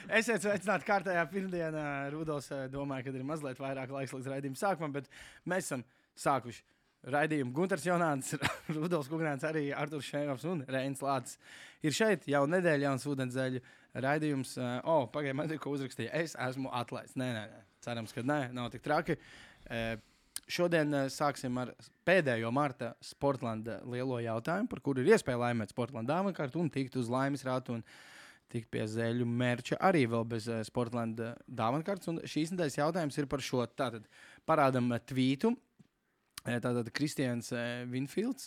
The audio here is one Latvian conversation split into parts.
Esiet sveicināti kārtējā pirmdienā. Rudolfs domāja, ka ir mazliet vairāk laiks līdz raidījuma sākumam, bet mēs esam sākuši raidījumu. Gunters Jonāns, Rudolfs Kugnāns, arī Arturs Šēnovs un Reinis Lācis ir šeit. Jau nedēļa jauns ūdenszeļu raidījums. Pagaidām, man ir ko uzrakstīja. Es esmu atlaists. Nē. Cerams, ka nē, nav tik traki. Šodien sāksim ar pēdējo marta Sportlanda lielo jautājumu, par kuru ir iespēja laimēt Sportlanda dāvankārtu un tikt uz laimes rātu un tikt pie zēļu merča arī vēl bez Sportlanda dāvankārtas. Un šīs nedēļas jautājums ir par šo. Tātad parādam tvītu. Tātad Kristians Vinfields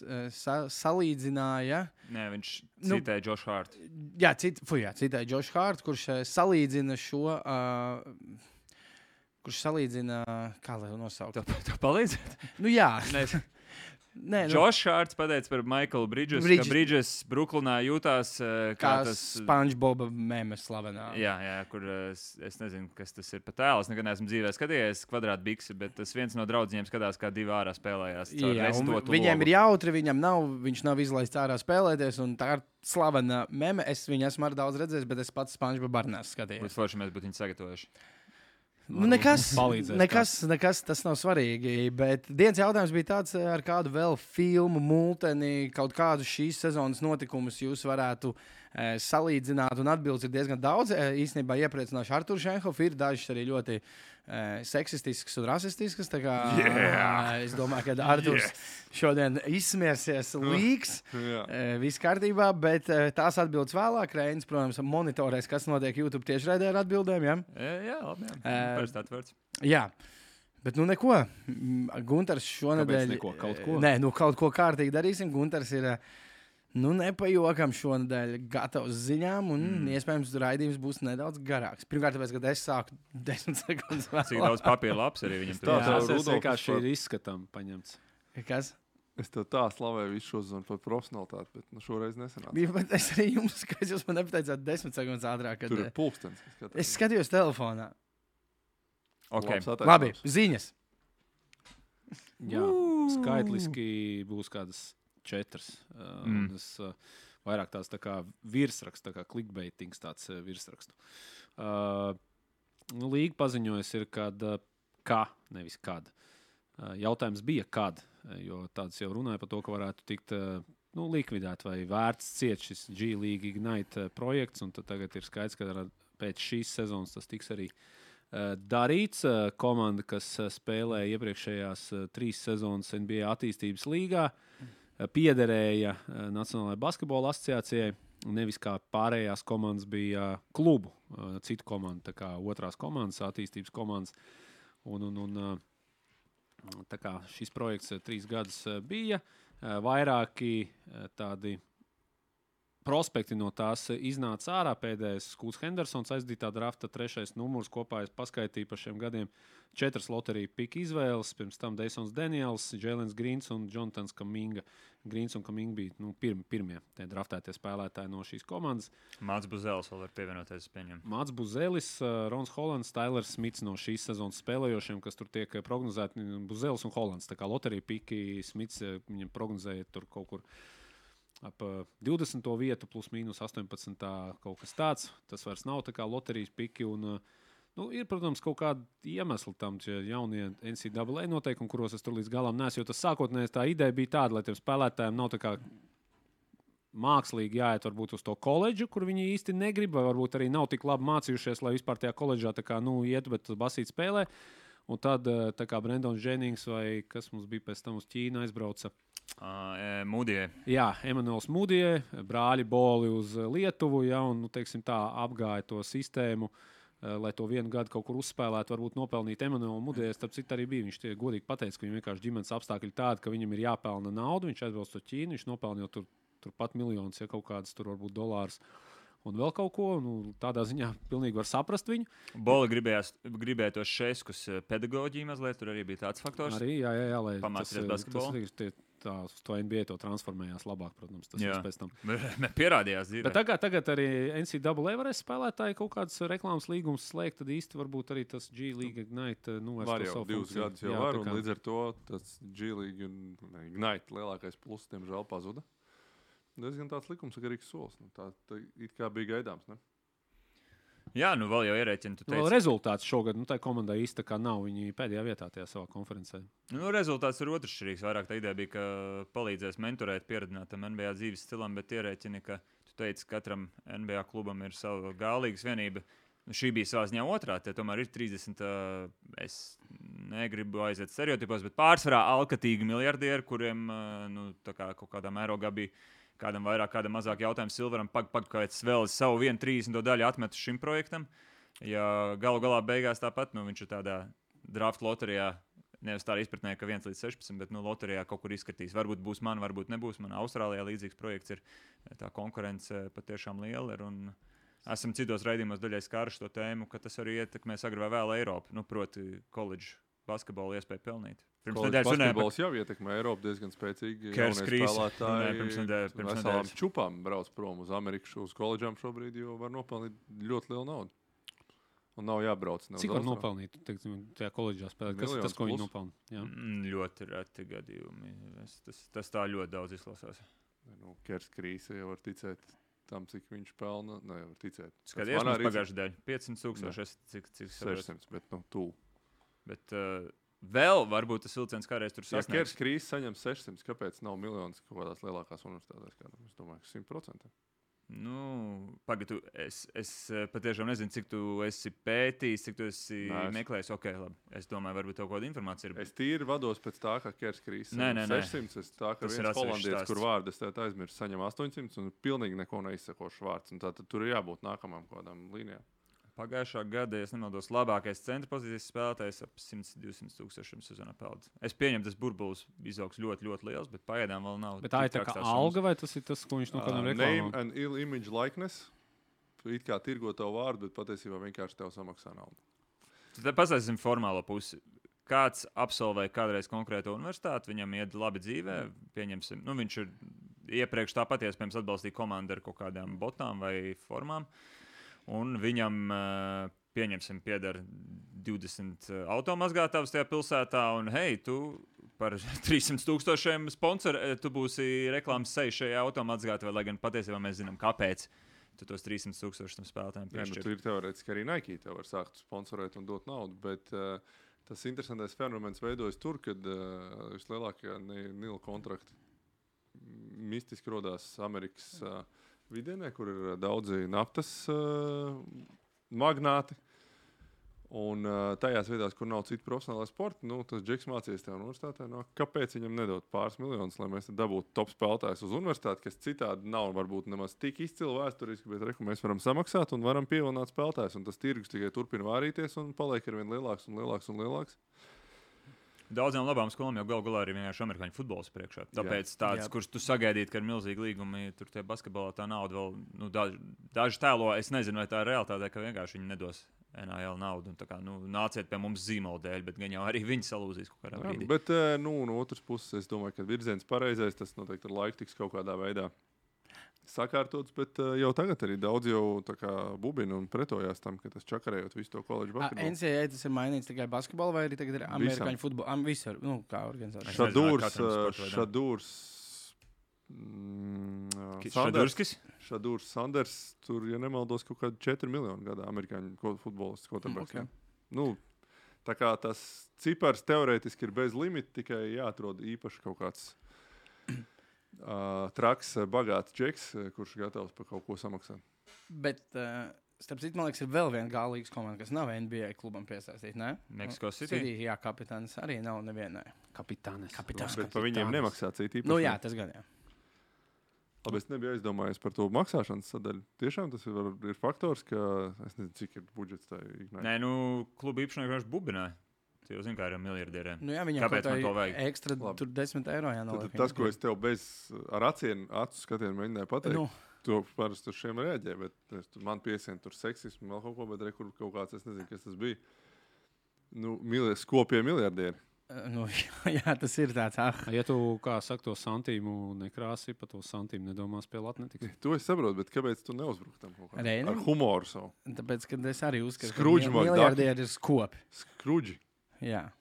salīdzināja... Nē, viņš citēja Josh Hart. Jā, citēja Josh Hart, kurš salīdzina šo... Kurš salīdzina... Kā lai nosaukt? Tev palīdzēt? Nu jā. Nē, Josh Harts pateica par Michaelu Bridges, ka Bridges Brooklynā jūtās kā tas... SpongeBoba memes slavenā. Jā, kur es nezinu, kas tas ir pa tēlu. Es nekad neesmu dzīvē skatījies kvadrātbiksi, bet tas viens no draudzīņiem skatās, kā divi ārā spēlējās. Jā, viņiem ir jautri, viņš nav izlaists ārā spēlēties, un tā ir slavena meme. Es viņu esmu arī daudz redzējis, bet es pats SpongeBoba arī neesmu skatījies. Būtu forši, mēs būtu viņu sagatavojuši. Nekas tas nav svarīgi, bet dienas jautājums bija tāds, ar kādu vēl filmu, multeni, kaut kādu šīs sezonas notikumus jūs varētu salīdzināt, un atbildes ir diezgan daudz. Īstenībā iepriecināšu Arturu Šenhofu, ir dažas arī ļoti seksistiskas un rasistiskas, tā kā es domāju, ka Arturs šodien izsmiersies līks, viss kārtībā, bet tās atbildes vēlāk. Reinis, protams, monitorēs, kas notiek YouTube tiešraidē ar atbildēm, ja? Jā, labi, parasti atvērts. Jā. Bet neko. Gunters šonedēļ... Kaut ko? Nē, kaut ko kārtīgi darīsim. Gunters ir... nepajokam šonadēļ gatavs ziņām, un iespējams raidījums būs nedaudz garāks. Pirmkārt, tāpēc, kad es sāku 10 sekundes vēl. Cik daudz papīra laps arī viņam tur. Tas vienkārši ir izskatām paņemts. Kas? Es tev tā slavēju visu šo zonu par profesionalitāti, bet šoreiz nesanāca. Bet es arī jums, ka jūs man nepateicāt 10 sekundes ātrāk. Tur ir pulkstens. Es skatījos telefonā. Okay. Labi, ziņas. Jā, skaitliski būs kādas 4. Es vairāk tās tā kā virsraksts, tā kā clickbaitings tāds virsrakstu. Līga paziņojas ir, nevis kad. Jautājums bija, kad, jo tāds jau runāja par to, ka varētu tikt likvidēt vai vērts ciet šis G-League Ignite projekts, un tad tagad ir skaidrs, ka pēc šīs sezonas tas tiks arī darīts. Komanda, kas spēlēja iepriekšējās 3 sezonas NBA attīstības līgā, piederēja Nacionālajai basketbola asociācijai, nevis kā pārējās komandas bija klubu, citu komandu, tā kā otrās komandas, attīstības komandas. Tā kā šis projekts 3 gadus bija, vairāki tādi prospekti no tās iznāca ārā. Pēdējais Skūts Hendersons aizdītā drafta 3. numurs, kopā es paskaitīju par šiem gadiem 4 loteriju pika izvēles, pirms tam Deisons Daniels, Jēlens Grīns un Jonathans Kaminga. Grīns un Kaminga bija pirmie draftētie spēlētāji no šīs komandas. Māts Buzelis vēl var pievienoties pieņem. Māts Buzelis, Rons Hollands, Tailers Smits no šīs sezonas spēlējošiem, kas tur tiek prognozēti. Buzelis un Hollands, tā kā loteriju piki Smits viņam prognozēja tur kaut kur ap 20. vietu plus mīnus 18. kaut kas tāds. Tas vairs nav tā kā loterijas piki un ir, protams, kaut kādi iemesli tam jaunie NCAA noteikumi, kuros es tur līdz galam neesmu, jo tas sākotnēs tā ideja bija tāda, lai tiem spēlētājiem nav tā kā mākslīgi jāiet varbūt uz to koledžu, kur viņi īsti negrib, vai varbūt arī nav tik labi mācījušies, lai vispār tajā koledžā tā kā, iet, bet basīt spēlē. Un tad tā kā Brendons Jennings vai kas mums bija pēc tam uz Ķīnu aizbrauca. Mūdijai. Jā, Emanuels Mūdijai, brāļi Boli uz Lietuvu, un, teiksim tā, apgāja to sistēmu, lai to vienu gadu kaut kur uzspēlētu, varbūt nopelnīt Emanuelu Mūdijai. Starp citu arī bija, viņš tie godīgi pateica, ka viņam vienkārši ģimenes apstākļi tādi, ka viņam ir jāpelna naudu, viņš aizbrauc to Ķīnu, viņš nopelna jau tur pat miljonus, ja kaut kādas tur varbūt dolārus. Un vēl kaut ko, tādā ziņā pilnīgi var saprast viņu. Boli gribēja tos šeiskus pedagoģiju mazliet, tur arī bija tāds faktors. Arī, jā, lai pamācīties basketbolu. Tas uz to NBA to transformējās labāk, protams, tas pēc tam. Pierādījās dzīvē. Bet tagad arī NCAA varēs spēlētāji kaut kādas reklāmas līgumus slēgt, tad īsti varbūt arī tas G-League Ignite var jau 2 gadus jau var, un līdz ar to tas G-League Ignite lielākais plus, diemžēl, pazuda. Diezgan tāds likumsakarīgs solis. Tā it kā bija gaidāms, ne? Jā, nu vēl jau ierēķina. Vēl rezultāts šogad, tā komandai īsti tā kā nav. Viņi pēdējā vietā tajā savā konferencē. Nu, rezultāts ir otršķirīgs. Vairāk tā ideja bija, ka palīdzēs mentorēt pieredzinātam NBA dzīves stilam, bet ierēķina, ka tu teici, ka katram NBA klubam ir sava gālīgas vienība. Nu, šī bija savā ziņā otrā, tie tomēr ir 30. Es negribu aiziet stereotipos, bet pārsvarā alkatīgi miljardieri, kuriem tā kā kaut kādā mērogā bija kādam vairāk, kādam mazāk jautājums Silveram, kāds vēl savu 1/30 daļu atmet šim projektam. Ja galu galā beigās tāpat, viņš ir tādā draft loterijā, nevis tā izpratnē, ka 1/16, bet loterijā kaut kur izskatīs. Varbūt būs man, varbūt nebūs man. Austrālijā līdzīgs projekts ir, tā konkurence patiešām liela ir. Un esam citos raidījumos daļai skāruši to tēmu, ka tas arī ietekmēs agrāk vai vēl Eiropu, proti koledžu basketbolu iespēju pelnīt. Basketbols jau ietekmē Eiropu diezgan spēcīgi. Kers Krīs. Pirms nedēļas čupām brauc prom uz Ameriku, uz koledžām šobrīd, jo var nopelnīt ļoti lielu naudu. Un nav jābrauc. Cik var nopelnīt tajā koledžā spēlēt? Kas ir tas, ko viņi nopelna? Ļoti reti gadījumi. Tas tā ļoti daudz izklausās. Kers Krīs jau var ticēt tam, cik viņš pelna. Nē, var ticēt. Skaties, mums pagājušajā dēļ 500,000, cik 600, bet tuvu. Bet vēl varbūt tas vilciens kādreiz tur sasniegs. Ja Kers Krīs saņem 600, kāpēc nav miljonus kaut kādās lielākās universitātēs? Es domāju, ka 100%. Pagaidu, es patiešām nezinu, cik tu esi pētījis, cik tu esi meklējis. Ok, labi. Es domāju, varbūt tev kāda informācija ir. Es tīri vados pēc tā, ka Kers Krīs saņem 600. Es tā, ka viens holandietis, kur vārdu es tev aizmirsu, saņem 800 un pilnīgi neko neizsakošu vārds. Un tātad tur ir jābūt nākamām kādām līnijām. Pagājušā gada, ja nemaldos, labākais centra pozīcijas spēlētājs ap 100-200 tūkstošiem sezonā pelda. Es pieņemu, tas burbulis izaugs ļoti, ļoti liels, bet pagaidām vēl nav. Bet tā ir tā kā alga vai tas ir tas, ko viņš no kādam reklāmā? Name and image likeness. It kā tirgo tev vārdu, bet patiesībā vienkārši tev samaksā naudu. Tad pastāstīsim formālo pusi. Kāds absolvēja kādreiz konkrētu universitāti, viņam iet labi dzīvē, pieņemsim. Viņš ir iepriekš tāpat iespējams atbalstīt komandu ar kaut kādām botām vai formām. Un viņam, pieņemsim, pieder 20 automazgātājus tajā pilsētā, un hei, tu par 300,000 sponsori, tu būsi reklāmas seja šajā automazgātājā, lai gan patiesībā mēs zinām, kāpēc tu tos 300,000 tam spēlētājiem piešķir. Tu ir teorētiski arī Nike, tev var sākt sponsorēt un dot naudu, bet tas interesantais fenomens veidojas tur, kad vislielākie Nila kontrakti mistiski rodās Amerikas vidienē, kur ir daudzi naftas magnāti. Un tajās vietās, kur nav citu profesionālā sporta, tas Džeks mācījies tajā universitātē. Kāpēc viņam nedot pāris miljonus, lai mēs dabūtu top spēlētājus uz universitāti, kas citādi nav varbūt nemaz tik izcili vēsturiski, bet mēs varam samaksāt un varam pievilināt spēlētājus. Un tas tirgus tikai turpina vārīties un paliek ar vien lielāks un lielāks un lielāks. Daudzām labām skolām jau galu galā arī vienkārši amerikāņu futbols priekšā. Tāpēc tāds, kurš tu sagaidītu, ka ir milzīgi līgumi, tur tie basketbolā tā nauda vēl, daži tēlo, es nezinu, vai tā ir realitāte, ka vienkārši viņi nedos NAL naudu. Un tā kā, nāciet pie mums zīmola dēļ, bet gan jau arī viņi salūzīs kaut kādā brīdī. Bet, no otras puses, es domāju, ka virziens pareizais, tas noteikti ar laiku tiks kaut kādā veidā sakārtots, bet jau tagad arī daudz jau bubina un pretojās tam, ka tas čakarējot visu to koledžu basketbolu. NCAA tas ir mainīts tikai basketbolu vai arī tagad ir amerikāņu futbolu? Visur, kā organizācija. Šadūrs Sanders, tur, ja nemaldos, kaut kādi 4 miljoni gadā amerikāņu futbolists quarterbacks. Okay. Tā kā tas cipars teorētiski ir bez limita, tikai jāatrod īpaši kaut kāds traks, bagāts džeks, kurš gatavs par kaut ko samaksāt. Bet, starp citu, man liekas, ir vēl viena galīgas komanda, kas nav NBA klubam piesaistīta, ne? Mexico City? Jā, kapitāns arī nav nevienai. Kapitāns. Bet par viņiem nemaksā citi īpaši. Jā, tas gan jā. Labi, es nebiju aizdomājies par to maksāšanas sadaļu. Tiešām tas ir faktors, ka es nezinu, cik ir budžets tā Ignite. Nē, klubu īpašnieki vienkārši bubināja. Jūs zināt, kā ir miljardieriem. Viņam kāpēc man to vajag? Ekstra tur 10 eiro jānoliek. Tas, ko es tev ar acu skatienu mēģināju pateikt, to parasti uz šiem reaģē, bet man piesien tur seksismu vēl kaut ko, bet kur kaut kāds, es nezinu, kas tas bija. Skopie miljardieri. Jā, tas ir tāds. Ja tu, kā saka, to santīmu nekrāsi, pa to santīmu nedomās pie latnetikas. To es saprotu, bet kāpēc tu neuzbruktam kaut kā? Ar humoru savu. Tāpēc, kad es arī uzskatu, ka miljardieri ir skopi. Skrudži. Jā.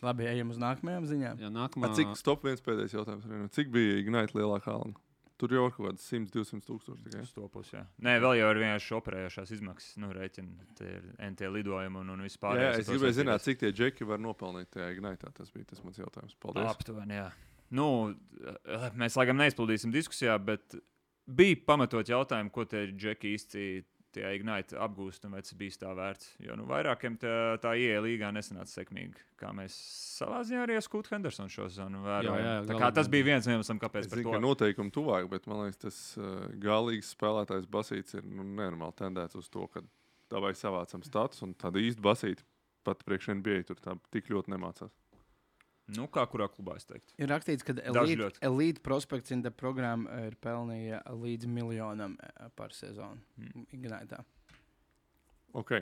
Labi, ejam uz nākamajām ziņām. Jā, nākamā... Cik stop viens pēdējais jautājums? Cik bija Ignite lielākā alga? tur jau ir kaut kāds 100-200 tūkstoši tikai. Uz to pusi, jā. Nē, vēl jau ir vienkārši operējošās izmaksas, rēķina, tie ir NT lidojumi un vispār. Jā, es gribēju zināt, cik tie džeki var nopelnīt tajā Ignitā. Tas bija tas mans jautājums. Paldies. Aptuveni, jā. Nu, mēs laikam neizpildīsim diskusijā, bet bija pamatot jautājumu, ko tie džeki īsti tie Ignite apgūst un vai tas bija tā vērts. Jo vairākiem tā IE līgā nesanāca sekmīgi, kā mēs savā ziņā arī Skūts Hendersons šo sezonu vērojam. Tā kā tas bija viens iemesls, kāpēc es zinu, ka noteikumi tuvāk, bet man liekas, tas galīgs spēlētājs basīts ir nenormāli tendēts uz to, ka tā vai savācam status un tāda īsta basīta pat priekš NBA tur tā tik ļoti nemācās. Nu, kā kurā klubā es teiktu. Ir rakstīts, ka elite prospekts in the programma ir pelnīja līdz $1 miljonam par sezonu. Ignitā. Ok.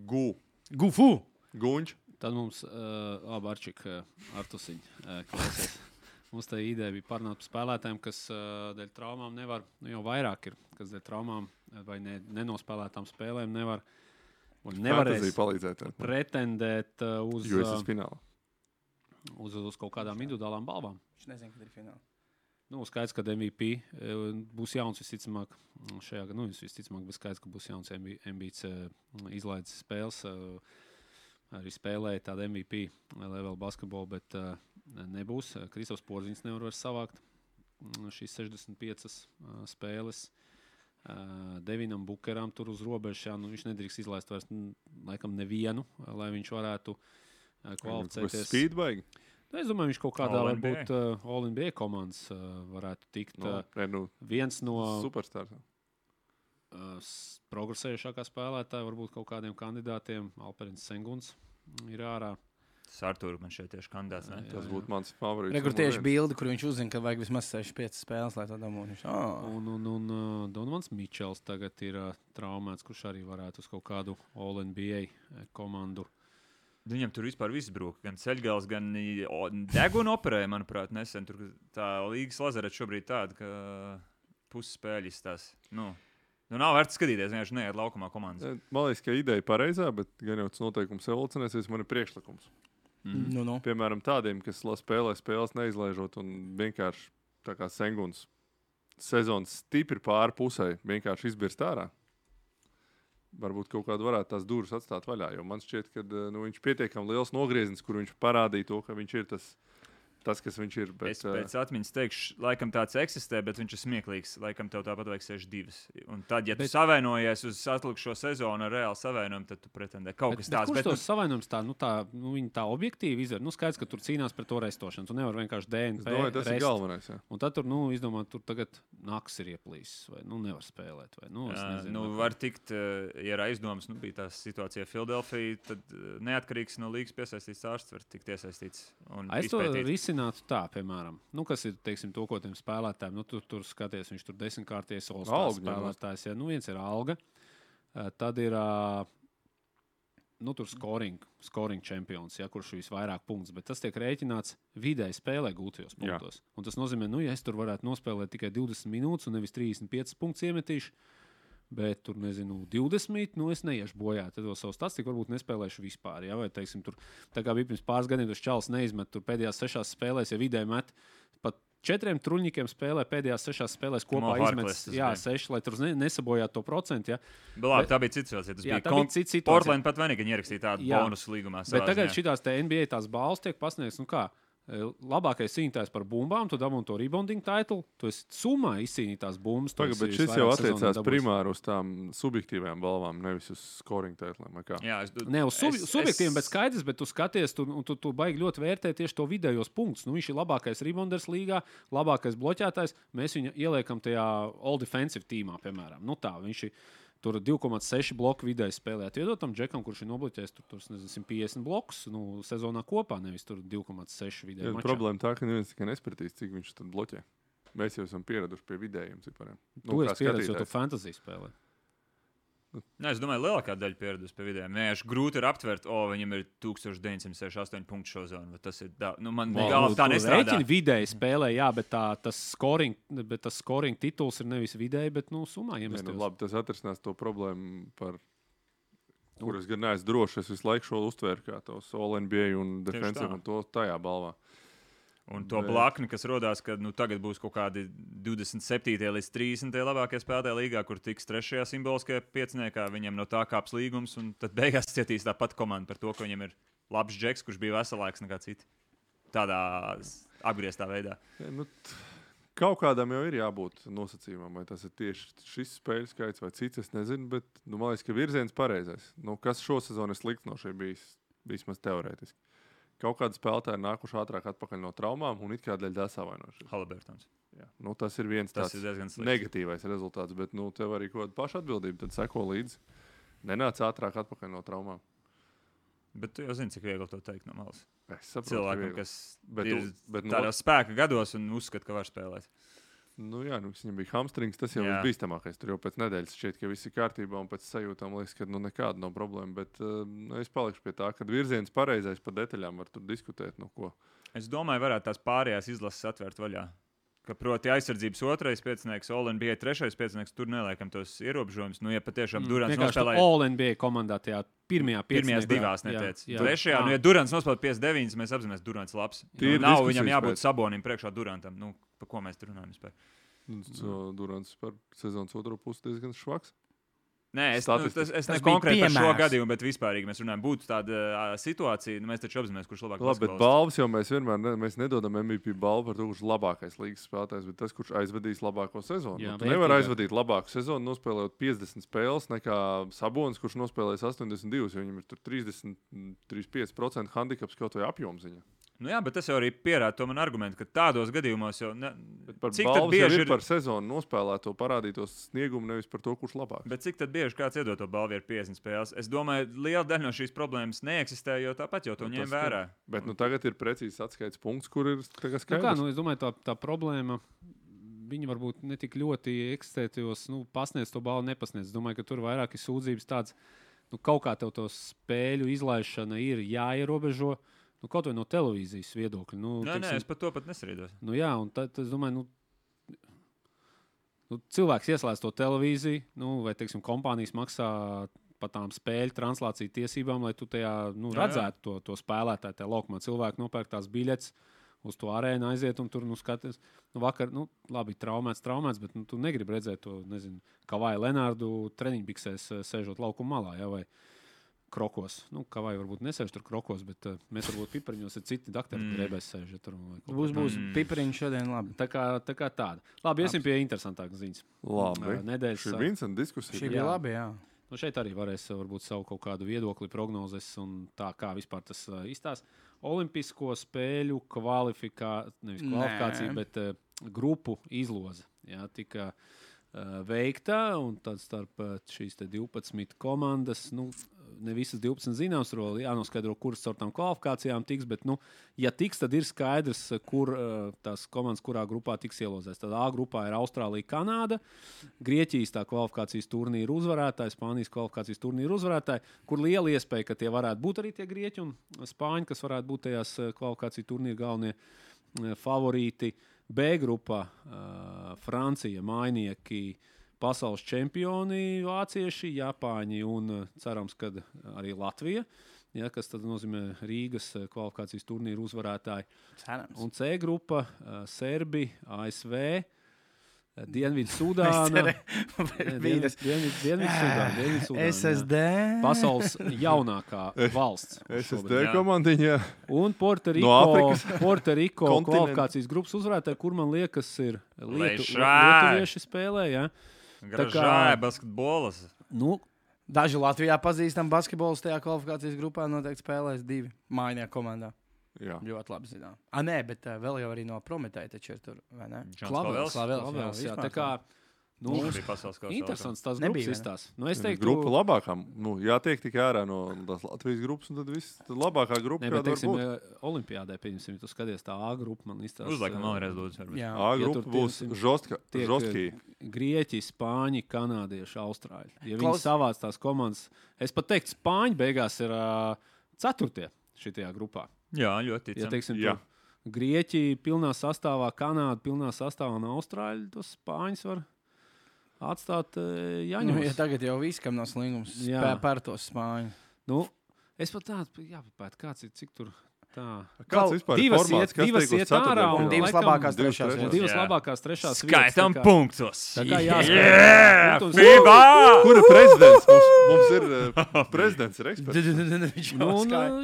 Gufu! Guņš. Tad mums Arčik Artusiņ klausies. Mums tā ideja bija parunāt par spēlētājiem, kas dēļ traumām nevar, jau vairāk ir, kas dēļ traumām vai nenospēlētām spēlēm nevarēs pretendēt uz USS finālu. Uz kaut kādām individuālām balvām. Viņš nezina, kad ir fināls. Skaidrs, ka MVP būs jauns visticamāk. Šajā gadā visticamāk būs skaidrs, ka būs jauns Embiids izlaides spēles. Arī spēlēja tādu MVP level basketbolu, bet nebūs. Kristofs Porziņš nevar vairs savākt šīs 65 spēles. Devinam Bukeram tur uz robežas. Viņš nedrīkst izlaist vairs laikam nevienu, lai viņš varētu kvalificēties. Speedbaigi? Es domāju, viņš kaut kādā varbūt All-NBA komandas varētu tikt. Viens no superstars. Progresējušākā spēlētāja, varbūt kaut kādiem kandidātiem. Alperins Senguns ir ārā. Sartūra man šeit tieši kandidāts. Tas būtu mans favorīts. Rekur tieši bildi, kur viņš uzzina, ka vajag vismaz 65 spēles, lai to dabūtu. Un Donovans Mičels tagad ir traumēts, kurš arī varētu uz kaut kādu All-NBA komandu. Viņam tur vispār viss brūk. Gan ceļgals, gan deguna operēja, manuprāt, nesen. Tur tā līgas lazareta šobrīd tāda, ka puses spēļas tās. Nav vērts skatīties, vienkārši neiet laukumā komandas. Man liekas, ka ideja pareizā, bet gan jau tas noteikums evolucionēsies, man ir priekšlikums. Piemēram, tādiem, kas spēlē spēles neizlaižot un vienkārši tā kā Senguns sezonas stipri pāri pusē vienkārši izbirst ārā. Varbūt kaut kādu varētu tās durvis atstāt vaļā, jo man šķiet, ka viņš pietiekami liels nogrieznis, kur viņš parādīja to, ka viņš ir tas, kas viņš ir. Bet, es pēc atmiņas teikšu, laikam tāds eksistē, bet viņš ir smieklīgs. Laikam tev tāpat vajag 62. Un tad, ja tu savainojies uz atlikušo sezonu ar reāli savainojumu, tad tu pretendē kaut kas tāds. Kurš tos savainojums viņi tā objektīvi izver? Skaidrs, ka tur cīnās par to reistošanu. Tu nevar vienkārši DNP. Es domāju, tas ir galvenais. Jā. Un tad tur, izdomā, tur tagad naks ir ieplīsis vai nevar spēlēt. Vai, es nezinu. Var tikt, ja ir aizdomas, bija tā situācija Filadelfija, tad neatkarīgs no līgas piesaistīts ārsts var tikt iesaistīts un izpētīt. Tā, piemēram, kas ir to, ko tiem spēlētājiem, tur skaties, viņš tur 10-kārties All-Star spēlētājs. Ja, viens ir alga, tad ir tur scoring čempions, ja, kurš visvairāk punktus, bet tas tiek rēķināts vidēji spēlē gūtajos punktos. Un tas nozīmē, ja es tur varētu nospēlēt tikai 20 minūtes un nevis 35 punktus iemetīšu, bet tur, 20, es neiešu bojā. Tad vēl savu statistiku varbūt nespēlēšu vispār. Ja? Vai, teiksim, tur, tā kā bija pirms pāris gadiem, tas čalis neizmet tur pēdējās 6 spēlēs, ja vidēji met pat 4 truņņikiem spēlē pēdējās 6 spēlēs kopā izmetis 6, lai tur nesabojātu to procentu. Ja? Tā bija cita situācija. Tas bija cita situācija. Portland pat vainīgi ierakstīja tādu bonusu līgumā. Bet tagad šitās te NBA tās balvas tiek pasniegts, labākais cīnītājs par bumbām, tu dabūji to rebounding titulu, tu esi summā izcīnītās bumbas. Bet šis jau attiecās primāri uz tām subjektīvajām balvām, nevis uz scoring titliem. Ne uz subjektīviem, bet skaidrs, bet tu skaties, tu baigi ļoti vērtēt tieši to vidējos punktus. Viņš ir labākais rebounders līgā, labākais bloķētājs, mēs viņu ieliekam tajā all defensive tīmā, piemēram. Viņš ir tur 2,6 bloku vidēji spēlēt. Iedot tam džekam, kurš ir nobloķējis 150 blokus sezonā kopā, nevis 2,6 vidēji. Problēma tā, ka neviens tikai nespratīs, cik viņš tad bloķē. Mēs jau esam pieraduši pie vidējiem cipariem. Tu esi pieredzis, jo tu fantasy spēlē. Es domāju, lielākā daļa pieradusi pie vidējiem. Vienkārši grūti ir aptvert, viņam ir 1968 punktu šo zonu. Tas ir man galvā tā nestrādā. Vidēji spēlē, jā, bet tas scoring tituls ir nevis vidēji, bet summā iemestos. Labi, tas atrisinās to problēmu, par kuras gan neesmu droši. Es visu laiku šo uztvēru kā tos All NBA un Defensive un to tajā balvā. Un to blakni, kas rodās, ka tagad būs kaut kādi 27. līdz 30. labākie spēlētāji līgā, kur tiks 3. simboliskajā pieciniekā, viņiem no tā kāps līgums, un tad beigās cietīs tāpat komanda par to, ka viņiem ir labs džeks, kurš bija veselāks nekā citi. Tādā apgrieztā veidā. Kaut kādam jau ir jābūt nosacījumam, vai tas ir tieši šis spēļu skaits vai cits, es nezinu, bet man liekas, ka virziens pareizais. Kas šo sezonu ir slikts no šī bijis, vismaz teorētiski. Kaut kādi spēlētāji ir nākuši ātrāk atpakaļ no traumām un it kā dēļ tā savainojušies. Haliburtons. Tas ir viens tāds negatīvais rezultāts, bet tev arī kaut kāda paša atbildība, tad seko līdzi. Nenāc ātrāk atpakaļ no traumām. Bet tu jau zini, cik viegli to teikt no malas. Es saprotu, cilvēkam, kas ir tādos spēka gados un uzskata, ka var spēlēt. Viņam bija hamstrings, tas jau ir bīstamākais. Tur jau pēc nedēļas šķiet, ka viss ir kārtībā un pēc sajūtām liekas, ka nekāda nav problēma. Bet es palikšu pie tā, ka virziens pareizais par detaļām var tur diskutēt. Es domāju, varētu tās pārējās izlases atvērt vaļā. Ka proti aizsardzības 2. piecinieks, All-NBA 3. piecinieks, tur neliekam tos ierobežojumus. Ja patiešām Durants nospēlēja All-NBA komandā tajā pirmajās divās neteica. Trešajā, ja Durants nospēlēja 59, mēs apzināmies, Durants labs. Nav viņam jābūt Sabonim priekšā Durantam. Par ko mēs tur runājam vispār? Durants par sezonas otro pusi diezgan švaks. Nē, es ne konkrēti par šo gadījumu, bet vispārīgi mēs runājam, būtu tāda situācija, mēs taču apzināmies, kurš labāk basketbolists. Bet balvas jau mēs vienmēr nedodam MVP balvu par to, kurš labākais līgas spēlētājs, bet tas, kurš aizvadīs labāko sezonu. Tu nevar aizvadīt labāku sezonu, nospēlējot 50 spēles, nekā Sabonis, kurš nospēlēs 82, jo viņam ir tur 35% handikaps kaut vai apjomziņa. Bet tas jau arī pierāda to man argumentu, ka tādos gadījumos jau... Cik tad bieži ir par sezonu nospēlēto parādītos sniegumu, nevis par to, kurš labāk. Bet cik tad bieži kāds iedod to balvu ar 50 spēles? Es domāju, liela daļa no šīs problēmas neeksistē, jo tāpat jau to ņem vērā. Bet tagad ir precīzi atskaits punkts, kur ir skaidrs. Es domāju, tā problēma, viņi varbūt ne tik ļoti eksistētajos, pasniedz to balvu, nepasniedz. Es domāju, ka tur vairāk ir sūdzības tāds, kaut kā tev to spēļu izlaišana ir jāierobežo. Kaut vai no televīzijas viedokļa. Nē, es par to pat nesarīdos. Un tad es domāju, cilvēks ieslēdz to televīziju, vai, kompānijas maksā par tām spēļu translāciju tiesībām, lai tu tajā redzētu to spēlētāju, tajā laukumā. Cilvēki nopērk tās biļetes uz to arēnu, aiziet un tur skaties. Vakar, labi, traumēts, bet tu negribi redzēt to, Kavaju Lenārdu treniņbiksēs sēžot laukuma malā, vai krokos. Kavai varbūt nesēž tur krokos, bet mēs varbūt pipariņos ir citi dakteri, drēbēs sēž. Būs pipariņš šodien labi. Tā kā tāda. Labi, iesim pie interesantākas ziņas. Labi. Nedēļas. Šī Vincent diskusija. Šī bija labi, jā. Šeit arī varēs varbūt savu kaut kādu viedokli, prognozes un tā, kā vispār tas izstās. Olimpisko spēļu kvalifikācija, bet grupu izloze. Tika veikta, un tad starp šīs 12 komandas, ne visas 12 zināms, jānoskaidro, kuras caur tām kvalifikācijām tiks, bet, ja tiks, tad ir skaidrs, kur tās komandas, kurā grupā tiks ielozēs. Tad A grupā ir Austrālija, Kanāda, Grieķijas tā kvalifikācijas turnīra uzvarētāji, Spānijas kvalifikācijas turnīra uzvarētāji, kur liela iespēja, ka tie varētu būt arī tie Grieķi un Spāņi, kas varētu būt tajās kvalifikāciju turnīra galvenie favorīti. B grupā Francija, Mainieki, pasaules čempioni, vācieši, Japāņi un cerams, ka arī Latvija, kas tad nozīmē Rīgas kvalifikācijas turnīru uzvarētāji. Cerams. Un C grupa Serbi, ASV, Dienvidsudāna, SSD, pasaules jaunākā valsts. SSD komandiņa. Un Puerto-Riko kvalifikācijas grupas uzvarētāji, kur man liekas ir lietuvieši spēlē, Gražāja basketbolas. Daži Latvijā pazīstam basketbolus tajā kvalifikācijas grupā noteikti spēlēs 2 mājnieku komandā. Jā. Ļoti labi zinām. Nē, bet vēl jau arī no Prometēja taču ir tur, vai ne? Klavels. Jā, tā kā interesants tās grupas izstās. Es teiktu, grupa labākām. Jātiek tikai ārā no tās Latvijas grupas, un tad viss labākā grupa, kāda var būt. Olimpiādē, pieņemsim, tu skaties tā A grupa, man izstās. Uzliekam vēlreiz lūdzu. A grupa būs žostkī. Grieķi, Spāņi, Kanādieši, Austrāļi. Ja viņi savāc tās komandas, es pat teiktu, Spāņi beigās ir 4. šitajā grupā. Jā, ļoti ticam. Ja teiksim, Grieķi pilnā sastāvā, Kanāda pilnā sastāvā un Austrāļi, tos Spāņus var atstāt Jaņos. Ja tagad jau viss, kam nav slingums, par tos Spāņu. Es pat tādu jāpapēt, kāds ir, cik tur Kāds vispār ir formāts? Kas divas tiek uz iet ārā ceturtdienu un finālu? divas laikam labākās divas trešās. trešās. Divas Jā. labākās trešās Skaitam vietas. punktus. Tā kā jāspēlē. Yeah, Protams. FIBA! Kur ir prezidents? Mums ir prezidents, ir eksperts.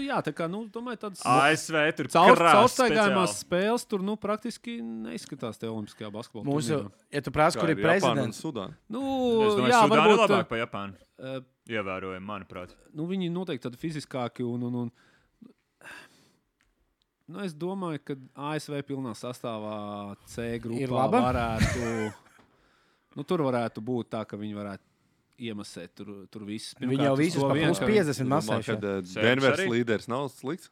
Jā, tā kā, domāju, tāds ASV tur caurstaigājumās spēles tur, praktiski neizskatās te olimpiskajā basketbolā. Mūsu, ja tu prasa, kur ir prezidents, Sudāna. Es domāju, Jā, Sudāna ir varbūt. labāk par Japānu. Ievērojami, manuprāt. Viņi noteikti tādi fiziskāki un es domāju, ka ASV pilnā sastāvā C Ir grupā laba? varētu, tur varētu būt tā, ka viņi varētu iemasēt tur visus. viņi jau visus pa plus 50 masējuši. Kad Denvers arī? līderis nav slikts.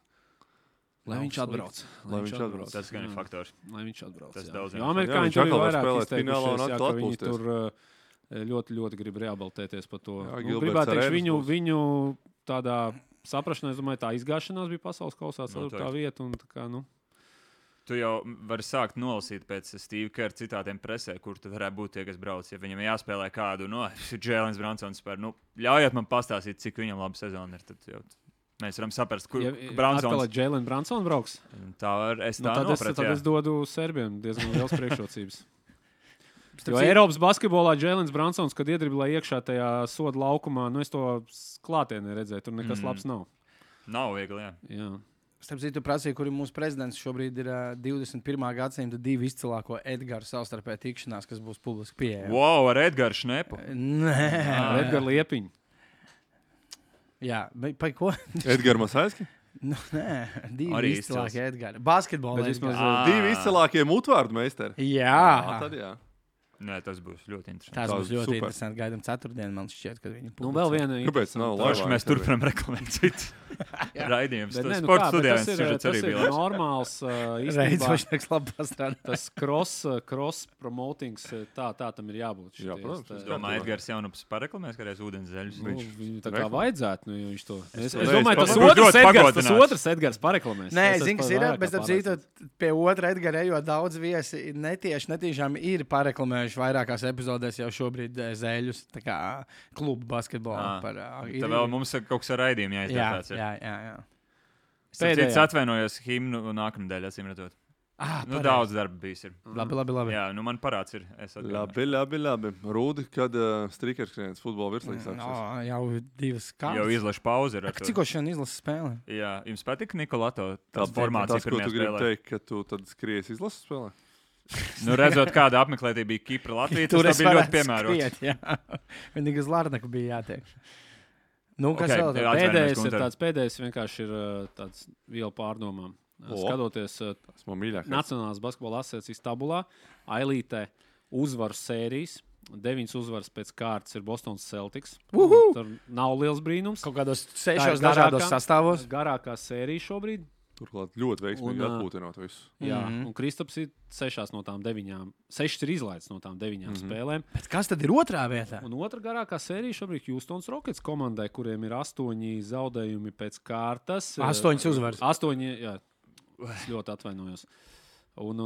Lai viņš atbrauc. Lai viņš atbrauc. Tas gan ir faktors. Lai viņš atbrauc. Tas jā. daudz Jo jāsaka. amerikāņi Jā, tur viņš ir atkal var vairāk spēlēt finālā un izteikušies, jā, atkal ka viņi atpūsties. tur ļoti grib reabilitēties par to. Jā, Gilberts Gribētu teikt, Arenas būs. viņu tādā saprašanā, es domāju, tā izgāšanās bija pasaules kausā, Noteikti. tā vieta. Un, tā kā, Tu jau vari sākt nolasīt pēc Steve Kerr citātiem presē, kur tad varētu būt tie, kas brauc. Ja viņam jāspēlē kādu, Jēlens Bransons spēr, ļaujiet man pastāstīt, cik viņam laba sezona ir. Tad jau mēs varam saprast, kur Bransons. Bransons. Jēlens Bransons brauks. Tā var, es tā Tad nopratu. es dodu Serbiem diezgan liels priekšrocības. Jo Eiropas basketbolā Jēlens Bransons, kad iedriblēja iekšā tajā soda laukumā, es to klātienē redzēju, tur nekas labs nav. Nav viegli, jā. Jā. Starp citu, prasīja, kur ir mūsu prezidents. Šobrīd ir 21. gadsimta divi izcilāko Edgara savstarpēji tikšanās, kas būs publiski pieejama. Wow, ar Edgars Šnepu. Nē, Edgars Liepiņš. jā, bet par ko? Edgars Masaiski? Nē, divi Arī izcilākie Edgari. Basketbolā. Bet vismaz, Divi izcilākie mutvārdu meistari. Jā, Tad jā. Nē, tas būs ļoti interesanti. tas būs ļoti super. interesanti. Gaidām ceturtdienu, man šķiet, kad viņi Vēl viena Kāpēc nav Paši laivā? mēs turpinām reklamēt citu raidījumu. Bet nē, Sports kā, bet studijā tas viens ir arī bija labs. normāls Reiz īstenībā. važnieks labi pastrādā. Tas cross promotings, tā tam ir jābūt. Jā, protams, Es domāju, Edgars Jaunups pareklamēs kādreiz ūdens zeļus. Viņu tā kā vajadzētu, jo viņš to. Es to domāju, tas būtu ļoti tas pagodināts. otrs Edgars pareklamēs. Nē, Es zinu, esmu kas ir. vairāk Bet, kā ap citu, pārliecināts. pie otra Edgara ejot daudz viesi netīšām ir pareklamējuši vairākās epizodēs jau šobrīd zēļus. Tā kā klubu basketbolā. Tā vēl mums ir kaut kas ar raidījumu jāizdara. Jā. Pēdējā. Es atvainojos himnu nākamnedēļ, acīm redzot. Daudz darba bijis. Ir. Labi. Jā, man parāds ir. Es atvainojos. Labi. Rūdi, kad strīkers skrienas futbola virslīgas sāksies. Jau divas Jau kārtas. izlašu pauzi. Cik šodien izlases spēlē? Jā, jums patika Nikolato? Tas Tas, formācija ko pirmajā tu gribi spēlē. teikt, ka tu tad skries izlases spēlē? Redzot, kāda apmeklētība bija Kipra Latvijā, Tur tas es bija ļoti varētu piemērots. skriet, jā. Vienīgi uz Lārnaku bija jātiek. Nu, kas Ok, vēl? jā. Pēdējais ir Gunter. tāds, pēdējais vienkārši ir tāds vielu pārdomām. Skatoties Tas man mīļākais. Nacionālās basketbola asociācijas tabulā, Ailītē uzvaru sērijas. 9 uzvaras pēc kārtas ir Bostonas Celtics. Tur nav liels brīnums. Kaut kādos Tā ir 6 dažādos garākā- sastāvos. Garākā sērija šobrīd. Turklāt ļoti veiksmīgi Un, atpūtinot visu. Jā, un Kristaps ir 6 no tām 9. 6 ir izlaists no tām 9 spēlēm. Bet kas tad ir otrā vietā? Un otra garākā sērija šobrīd Houstons Rockets komandai, kuriem ir 8 zaudējumi pēc kārtas. 8 uzvaras. 8, jā, es ļoti atvainojos. Un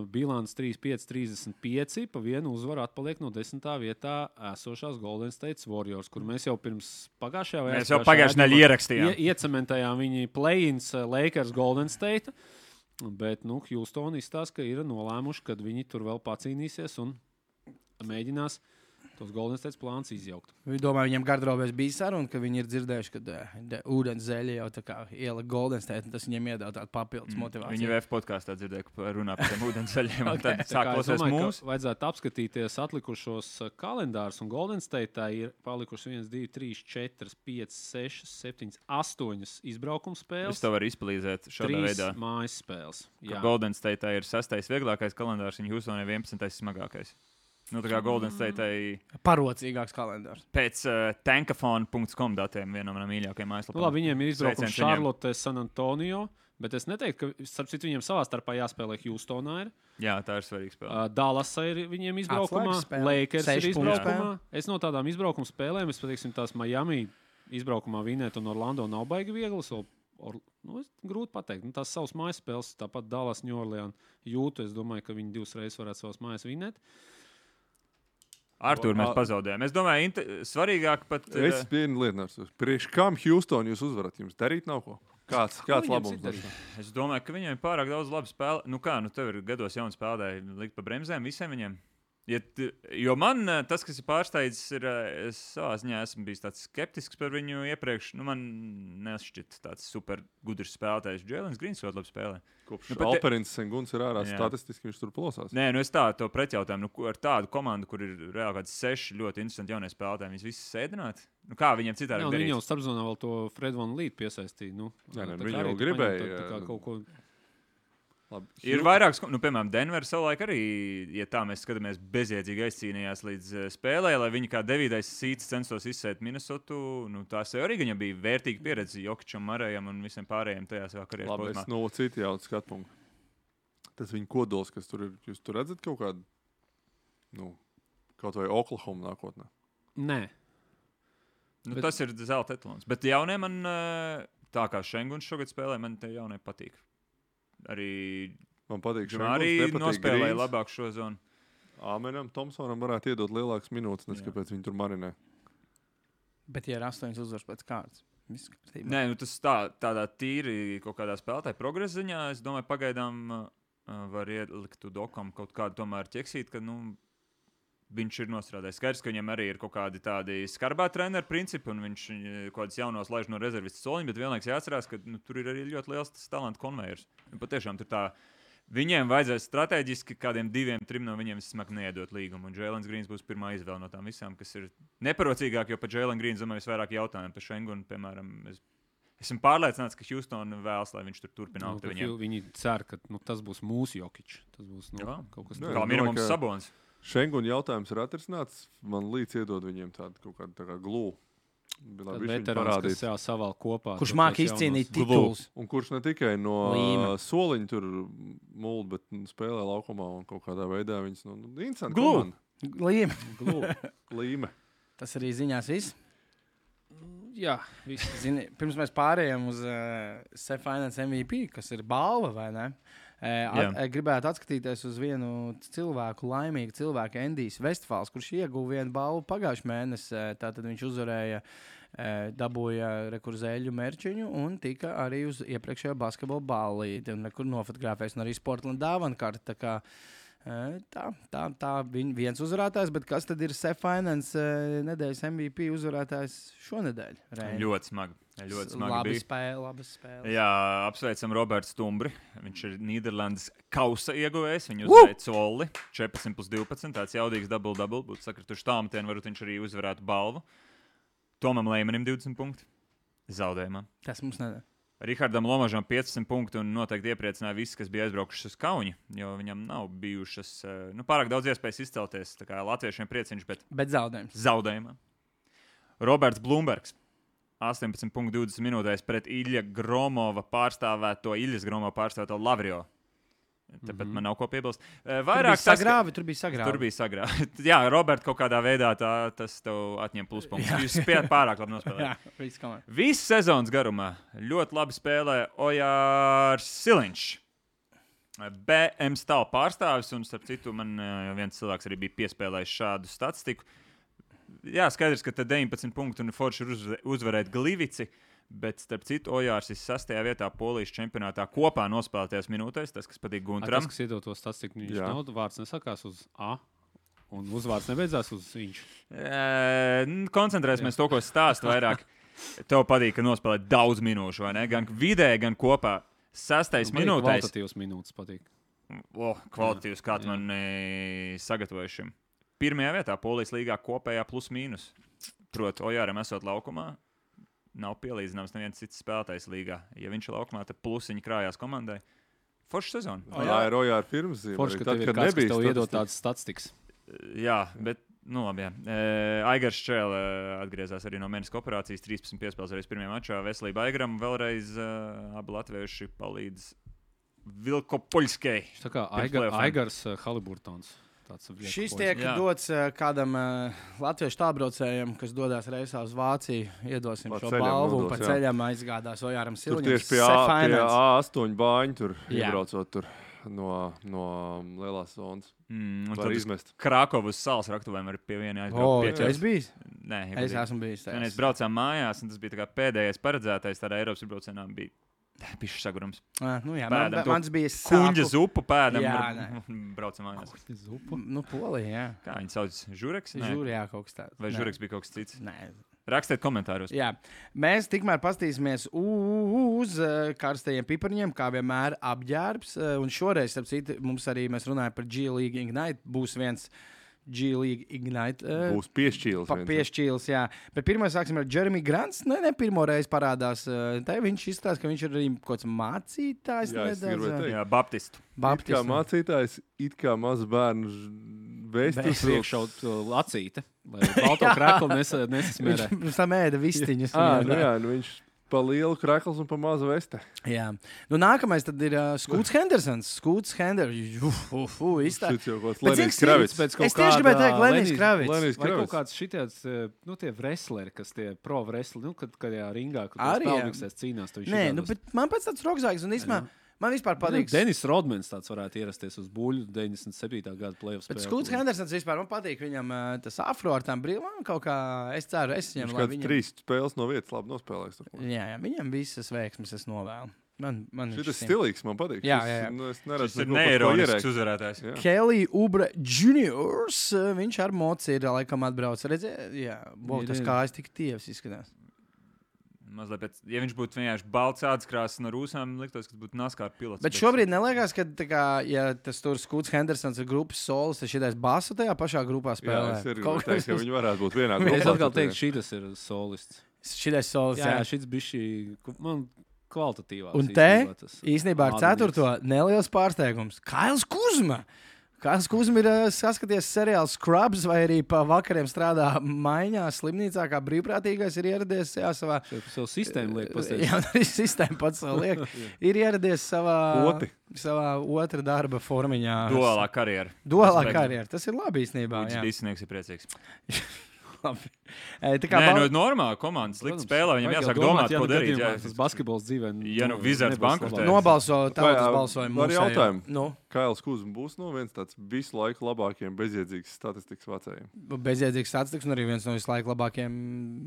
bilants 35-35, pa vienu uzvaru atpaliek no 10. vietā esošās Golden State Warriors, kur mēs jau pirms pagājušajā vai Mēs jau pagājušajā nedēļā ierakstījām. Iecementējām viņi play-ins Lakers Golden State, bet Houston izstāsta, ka ir nolēmuši, ka viņi tur vēl pacīnīsies un mēģinās tos Golden State plāns izjaukt. Viņi domā, viņiem gardrobēs bija saruna, ka viņi ir dzirdējuši, ka ūdens zeļa jau tā kā iela Golden State, un tas viņiem iedod tādu papildus motivāciju. Viņi VF podkāstā dzirdēja, ka runā par tiem ūdensceļiem. Ok. Tad sāk klausīties mūsu. Vajadzētu apskatīties atlikušos kalendārus, un Golden State ir palikuši 1, 2, 3, 4, 5, 6, 7, 8 izbraukuma Es spēles, to varu izplīzēt šādā 3 veidā. mājas spēles. Ka Golden State ir 6. vieglākais kalendārs, un Houstonai 11. smagākais. Tā kā Golden State Parocīgāks kalendārs. pēc tankafone.com datiem vienam no mīļākajiem mājaslapām. Labi, viņiem ir izbraukums Sveiciens viņiem. Charlotte, San Antonio, bet es neteiktu, ka starp citu viņiem savā starpā jāspēlē Houstonā. Ir. Jā, tā ir svarīga spēle. Dallasā ir viņiem izbraukumā, Atslēgas spēle. Lakers ir 6 punktu izbraukumā. Es no tādām izbraukuma spēlēm, es pateiksim, tās Miami izbraukumā vinēt un Orlando nav baigi vieglas. Grūti pateikt. Tās savas mājas spēles, tāpat Dallas, New Orleans, Jūtu. Es domāju, ka viņi 2 reizes varētu savas mājas vinēt. Artur mēs pazaudējām. Es domāju, svarīgāk pat. Es vienu lietu nesaprotu. Priekš kam Houston jūs uzvarat? Jums darīt nav ko? Kāds labums? Es domāju, ka viņiem ir pārāk daudz labu spēli. Nu kā, tev ir gados jauni spēlētāji, likt pa bremzēm visiem viņiem. Jo man tas, kas ir pārsteidzis, ir, es savā ziņā esmu bijis tāds skeptisks par viņu iepriekš. Man nešķiet tāds super gudrs spēlētājs. Jēlens Grīns ļoti labi spēlē. Kopš Alperins Senguns ir ārā, statistiski viņš tur plosās. Nē, es tādu pretjautājumu. Ar tādu komandu, kur ir reāli kāds 6 ļoti interesanti jaunie spēlētāji, viņus visus sēdināt? Kā viņiem citādi darīt? Viņi jau starpzonā vēl to Fred Van Leet piesaistīja. Viņi jau gribēja. Kaut ko... Labi. Ir vairākas, piemēram, Denver savulaik arī, ja tā mēs skatāmies, bezjēdzīgi aizcīnījās līdz spēlē, lai viņi kā 9. sīts censtos izsēt Minnesotu. Tās arī viņam bija vērtīga pieredze Jokičam, Marējam un visiem pārējiem tajā savā karjeras posmā. Labi, es citu jautājumu skatpunktu. Tas viņa kodols, kas tur ir, jūs tur redzat kaut kādu, kaut vai Oklahoma nākotnē? Nē. Tas ir zelta etalons. Bet jaunie man, tā kā Šenguns šogad spēlē, man te jaunie patīk. Arī man patīk Šenguns, nospēlēja labāk šo zonu. Āmenam Tomsonam varētu iedot lielākas minūtes, kāpēc viņi tur marinē. Bet ja ir 8 uzvaras pēc kārtas, viss kārtībā. Nē, tas tādā tīri kaut kādā spēlētāja progresa ziņā, es domāju, pagaidām var ielikt Udokam kaut kādu tomēr ķeksīt, ka, viņš ir nostrādājis. Skaidrs, ka viņam arī ir kaut kādi tādi skarbā treneru principi, un viņš kaut kādas jaunos laiž no rezervistu soliņa, bet vienlaiks jāatcerās, ka tur ir arī ļoti liels tas talantu konvejers. Patiešām tur tā, viņiem vajadzēs strateģiski kādiem 2-3 no viņiem vismaz neiedot līgumu, un Jēlens Grīns būs pirmā izvēle no tām visām, kas ir neparocīgāk, jo par Jēlenu Grīnu domāju visvairāk jautājumu. Par Šengunu, piemēram, esmu pārliecināts, ka Houston vēlas, lai viņš tur turpina augt viņiem. Viņi cer, ka tas būs mūsu Jokič. Tas būs kaut kas kā minimums Sabons. Šenguna jautājums ir atrisināts. Man līdz iedod viņiem tādu kaut kādu tā kā glū. Veterāns, kas savēl kopā. Kurš māk izcīnīt titulus. Un kurš ne tikai no soliņa tur mulda, bet spēlē laukumā un kaut kādā veidā viņas interesanti komanda. Līme. Tas arī ziņās viss. Jā, viss. Zini, pirms mēs pārējām uz SEF Finance MVP, kas ir balva, vai ne? Gribētu atskatīties uz vienu cilvēku, laimīgu cilvēku, Endijs Vestfāls, kurš ieguva vienu balvu pagājušajā mēnesī. Tātad viņš uzvarēja, dabūja rekurzēļu merčiņu un tika arī uz iepriekšējo basketbola ballīti. Un nekur nofotografēs un arī Sportland dāvankarti. Tā viens uzvarētājs, bet kas tad ir SEF Finance nedēļas MVP uzvarētājs šonedēļ? Reini? Ļoti smagi. Labi spēle. Jā, apsveicam Robertu Stumbri. Viņš ir Nīderlandes kausa ieguvējs. Viņu uzvarēja Colli 14+12. Tāds jaudīgs double-double. Būtu sakrituši tālmetienu, varbūt viņš arī uzvarētu balvu. Tomam Leimanim 20 punkti. Zaudējumā. Tas mums nedara. Rihardam Lomažam 15 punkti un noteikti iepriecināja visi, kas bija aizbraukuši uz Kauni, jo viņam nav bijušas pārāk daudz iespējas izcelties. Tā kā latviešiem prieciņš, bet zaudējumā. Roberts Blumbergs 18,20 minūtēs pret Ilja Gromova pārstāvēto Lavrio. Tāpēc man nav ko piebilst. Tur bija sagrāvi. Jā, Robert, kaut kādā veidā tas tev atņem pluspunktus. Jūs spējat pārāk labi nospēlēt. Visu sezonas garumā ļoti labi spēlē Ojārs Siliņš. BM stāv pārstāvis, un starp citu man viens cilvēks arī bija piespēlējis šādu statistiku. Jā, skaidrs, ka te 19 punktu un forši ir uzvarēt Glivici. Bet, starp citu, Ojārs ir 6. vietā Polijas čempionātā kopā nospēlētajās minūtēs. Tas, kas patīk Gunteram. Tas, kas iedod to statistiku, viņš nav, vārds nesakās uz A, un uzvārds nebeidzās uz viņš. Koncentrēsimies to, ko stāstu vairāk. Tev patīk, ka nospēlē daudz minūšu, vai ne? Gan vidēji, gan kopā. 6. minūtēs. Kvalitatīvs minūtes patīk. Kvalitatīvs, kā tu man sagatavoji šim. 1. vietā Polijas līgā kopējā plus mīnus. Proti, Ojāram esot laukumā. Nav pielīdzināms neviens cits spēlētājs līgā. Ja viņš ir laukumā, tad plusiņi krājās komandai. Forša sezona. Jā, ir Ojāra pirms zīme. Forša, ka tev ir kāds, kas tev iedod tādas statistikas. Jā, bet, labi, jā. Aigars Čēle atgriezās arī no meniska operācijas. 13 piespēles arī pirmajā mačā. Veselība Aigaram vēlreiz abi latvieši palīdz Vilkopoļskai. Tā kā Aigars Haliburtons. Šis tiek dots kādam latviešu tālbraucējam, kas dodas reisā uz Vāciju. Iedosim šo balvu un pa ceļam aizgādās Ojāram Siliņam. Tur tieši pie A8 bāņu tur iebraucot tur no lielās zonas. Var izmest. Krakovas salas raktuvēm arī pie viena aizbraukt. Es bijis? Nē, es esmu bijis. Mēs braucām mājās, un tas bija tā kā pēdējais paredzētais tādā Eiropas braucienā bija Pišķis sagurums. Jā, Pēdam to mans bija Kuņģa zupu pēdam. Jā, Braucam mājās. Zupu. Polija, jā. Kā viņi sauc? Žureks? Nē. Žūrijā kaut kas tāds. Vai žureks bija kaut kas cits? Nē. Rakstiet komentāros. Jā, mēs tikmēr pastīsimies uz karstajiem piparņiem, kā vienmēr apģērbs. Un šoreiz, starp citu, mēs runājam par G League Ignite. Būs viens G League Ignite. Būs piešķīlis. Piešķīlis, jā. Bet pirmā sāksim ar Jeremy Grants. Ne pirmo reizi parādās. Te viņš izstāsta, ka viņš ir arī kaut kāds mācītājs. Jā, es gribēju teikt. Jā, Baptistu. It kā mācītājs, it kā mazs bērnu vēstus. Priekšaut lacīte, lai balto kreklu nesasmērē. Viņš tam ēda vistiņas. Viņš pa lielu krekls un pa mazu veste. Jā. Nākamais tad ir Skūts Hendersons. Skūts Hendersons. Šis jau kaut kāds Lenijs Kravits. Es tieši gribēju teikt Lenijs Kravits. Vai kaut kāds šitāds, tie wrestleri, kas tie pro wrestleri, kad jā ringā, kad Arī, jā. spēlniksēs cīnās. Nē, bet man pēc tāds rokzāks un īsmā. Man vispār patīk. Denis Rodmans tāds varētu ierasties uz buļļu 97. gada playoff spēlē. Bet Skūts Hendersons vispār man patīk. Viņam tas afro ar tām brīvām kaut kā, es ceru, es viņam, lai viņam... 3 spēles no vietas labi nospēlēs. Jā, viņam visas veiksmes es novēlu. Man šis stilīgs man patīk. Jā. Es neredzu, šis ir neironisks uzvarētājs. Kelly Oubre Juniors, viņš ar moci ir laikam atbrauc. Redzēja, jā, tas kājas tik tievs izskatās. Mazliet pēc, ja viņš būtu vienkārši balts ādskrāsas no rūsām, liktos, ka būtu NASCAR pilots. Bet šobrīd neliekas, ka, kā, ja tas tur Skūts Hendersons ir grupas solis, tad šitais basu tajā pašā grupā spēlē. Jā, es ir teikt, ka viņi varētu būt vienā grupā. Es atkal teiktu, šitas ir solists. Šitais solis, jā. Šits bišķi, man kvalitatīvās. Un te, īstenībā ar 4. neliels pārsteigums. Kails Kuzma! Kāds Kuzma ir saskaties seriālu Scrubs vai arī pa vakariem strādā maiņā slimnīcā, kā brīvprātīgais ir ieradies savā... Savu sistēmu liek pasteidz. Jā, arī sistēmu pats savu liek. Ir ieradies savā otra darba formiņā. Duālā karjera. Duālā karjera. Tas ir labi īstenībā. Viņš Disneyks ir priecīgs. Normāli komandas likt spēlē, viņam jāsāk domāt, ko darīt. Tas basketbols dzīvē. Ja Wizards bankrotē. Nobalso tautas balsojumu. Var jautājumu. Kails Kuzma būs viens tāds visu laiku labākajiem bezjēdzīgas statistikas vecējiem. Bezjēdzīgas statistikas un arī viens no visu laiku labākajiem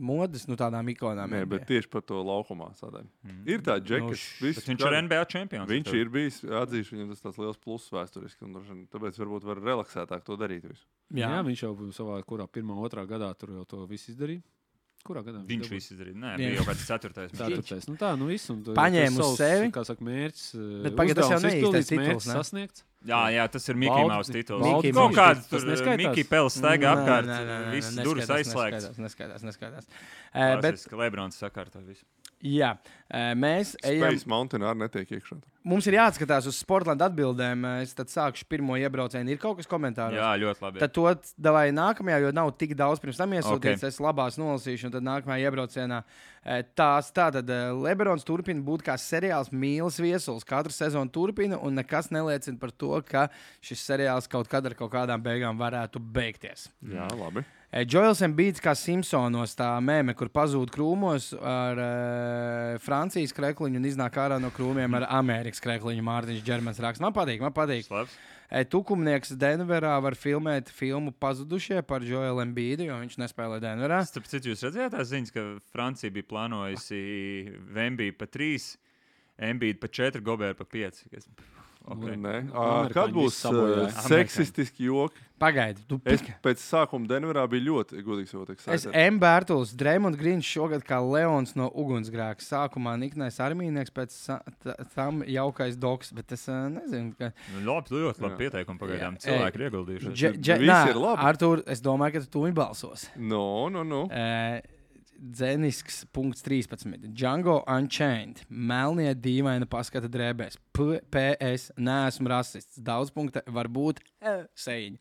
modes, tādām ikonām. Nē, bet tieši par to laukumā sadaļu. Ir tā džekas. Viņš ir NBA čempions. Viņš ir bijis, atzīšu, viņam tas tāds liels pluss vēsturiski. Tāpēc varbūt var relaksētāk to darīt visu. Jā, viņš jau savā kurā 1. 2. gadā tur jau to visu izdarīja. Kurā gadā viņš visu izdarīja? Nē, bija jau kāds 4. 4. Viss. Paņēma uz sevi. Kā saka, mērķis. Bet pagaid, tas jau neīstais tituls, ne? Sasniegts. Jā, tas ir Mickey Mouse tituls. Kaut kāds tur Mickey Pels staigā apkārt. Viss durvis aizslēgts. Neskaidrs. Bet Lebrons sakārto visu. Jā, mēs ejam. Space Mountain arī netiek iekšā. Mums ir jāatskatās uz Sportland atbildēm. Es tad sākšu pirmo iebraucienu. Ir kaut kas komentāros? Jā, ļoti labi. Tad to davai nākamajā, jo nav tik daudz pirms tam iesūtīts. Es labās nolasīšu, un tad nākamajā iebraucienā. Tātad Lebrons turpina būt kā seriāls mīlas viesulis. Katru sezonu turpina, un nekas neliecina par to, ka šis seriāls kaut kad ar kaut kādām beigām varētu beigties. Jā, labi. Joels Embiids kā Simpsonos, tā mēme, kur pazūd krūmos ar Francijas krekliņu un iznāk ārā no krūmiem ar Amerikas krekliņu. Mārtiņš Džermans raksta. Man patīk. Slabs. Tukumnieks Denverā var filmēt filmu Pazudušie par Joelu Embiidu, jo viņš nespēlē Denverā. Starp citu, jūs redzējāt tās ziņas, ka Francija bija plānojusi Vembiju pa 3, Embiidu pa 4, Goberu pa 5. Okay. Kad būs seksistiski joki? Pagaidi, es pēc sākuma Denverā biju ļoti godīgs. Es Bērtuls, Dreimond Grīns šogad kā Leons no ugunsgrēka. Sākumā niknais armīnieks, pēc tam jaukais doks, bet es nezinu, ka... Ļoti labi pieteikumi pagaidām. Cilvēki ir ieguldījuši. Visi ir labi. Artur, es domāju, ka tu balsos. No. Dzenisks punkts 13. Django Unchained. Melnie dīvaina paskata drēbēs. PS. Neesmu rasists. Daudz punkta var būt seiņi.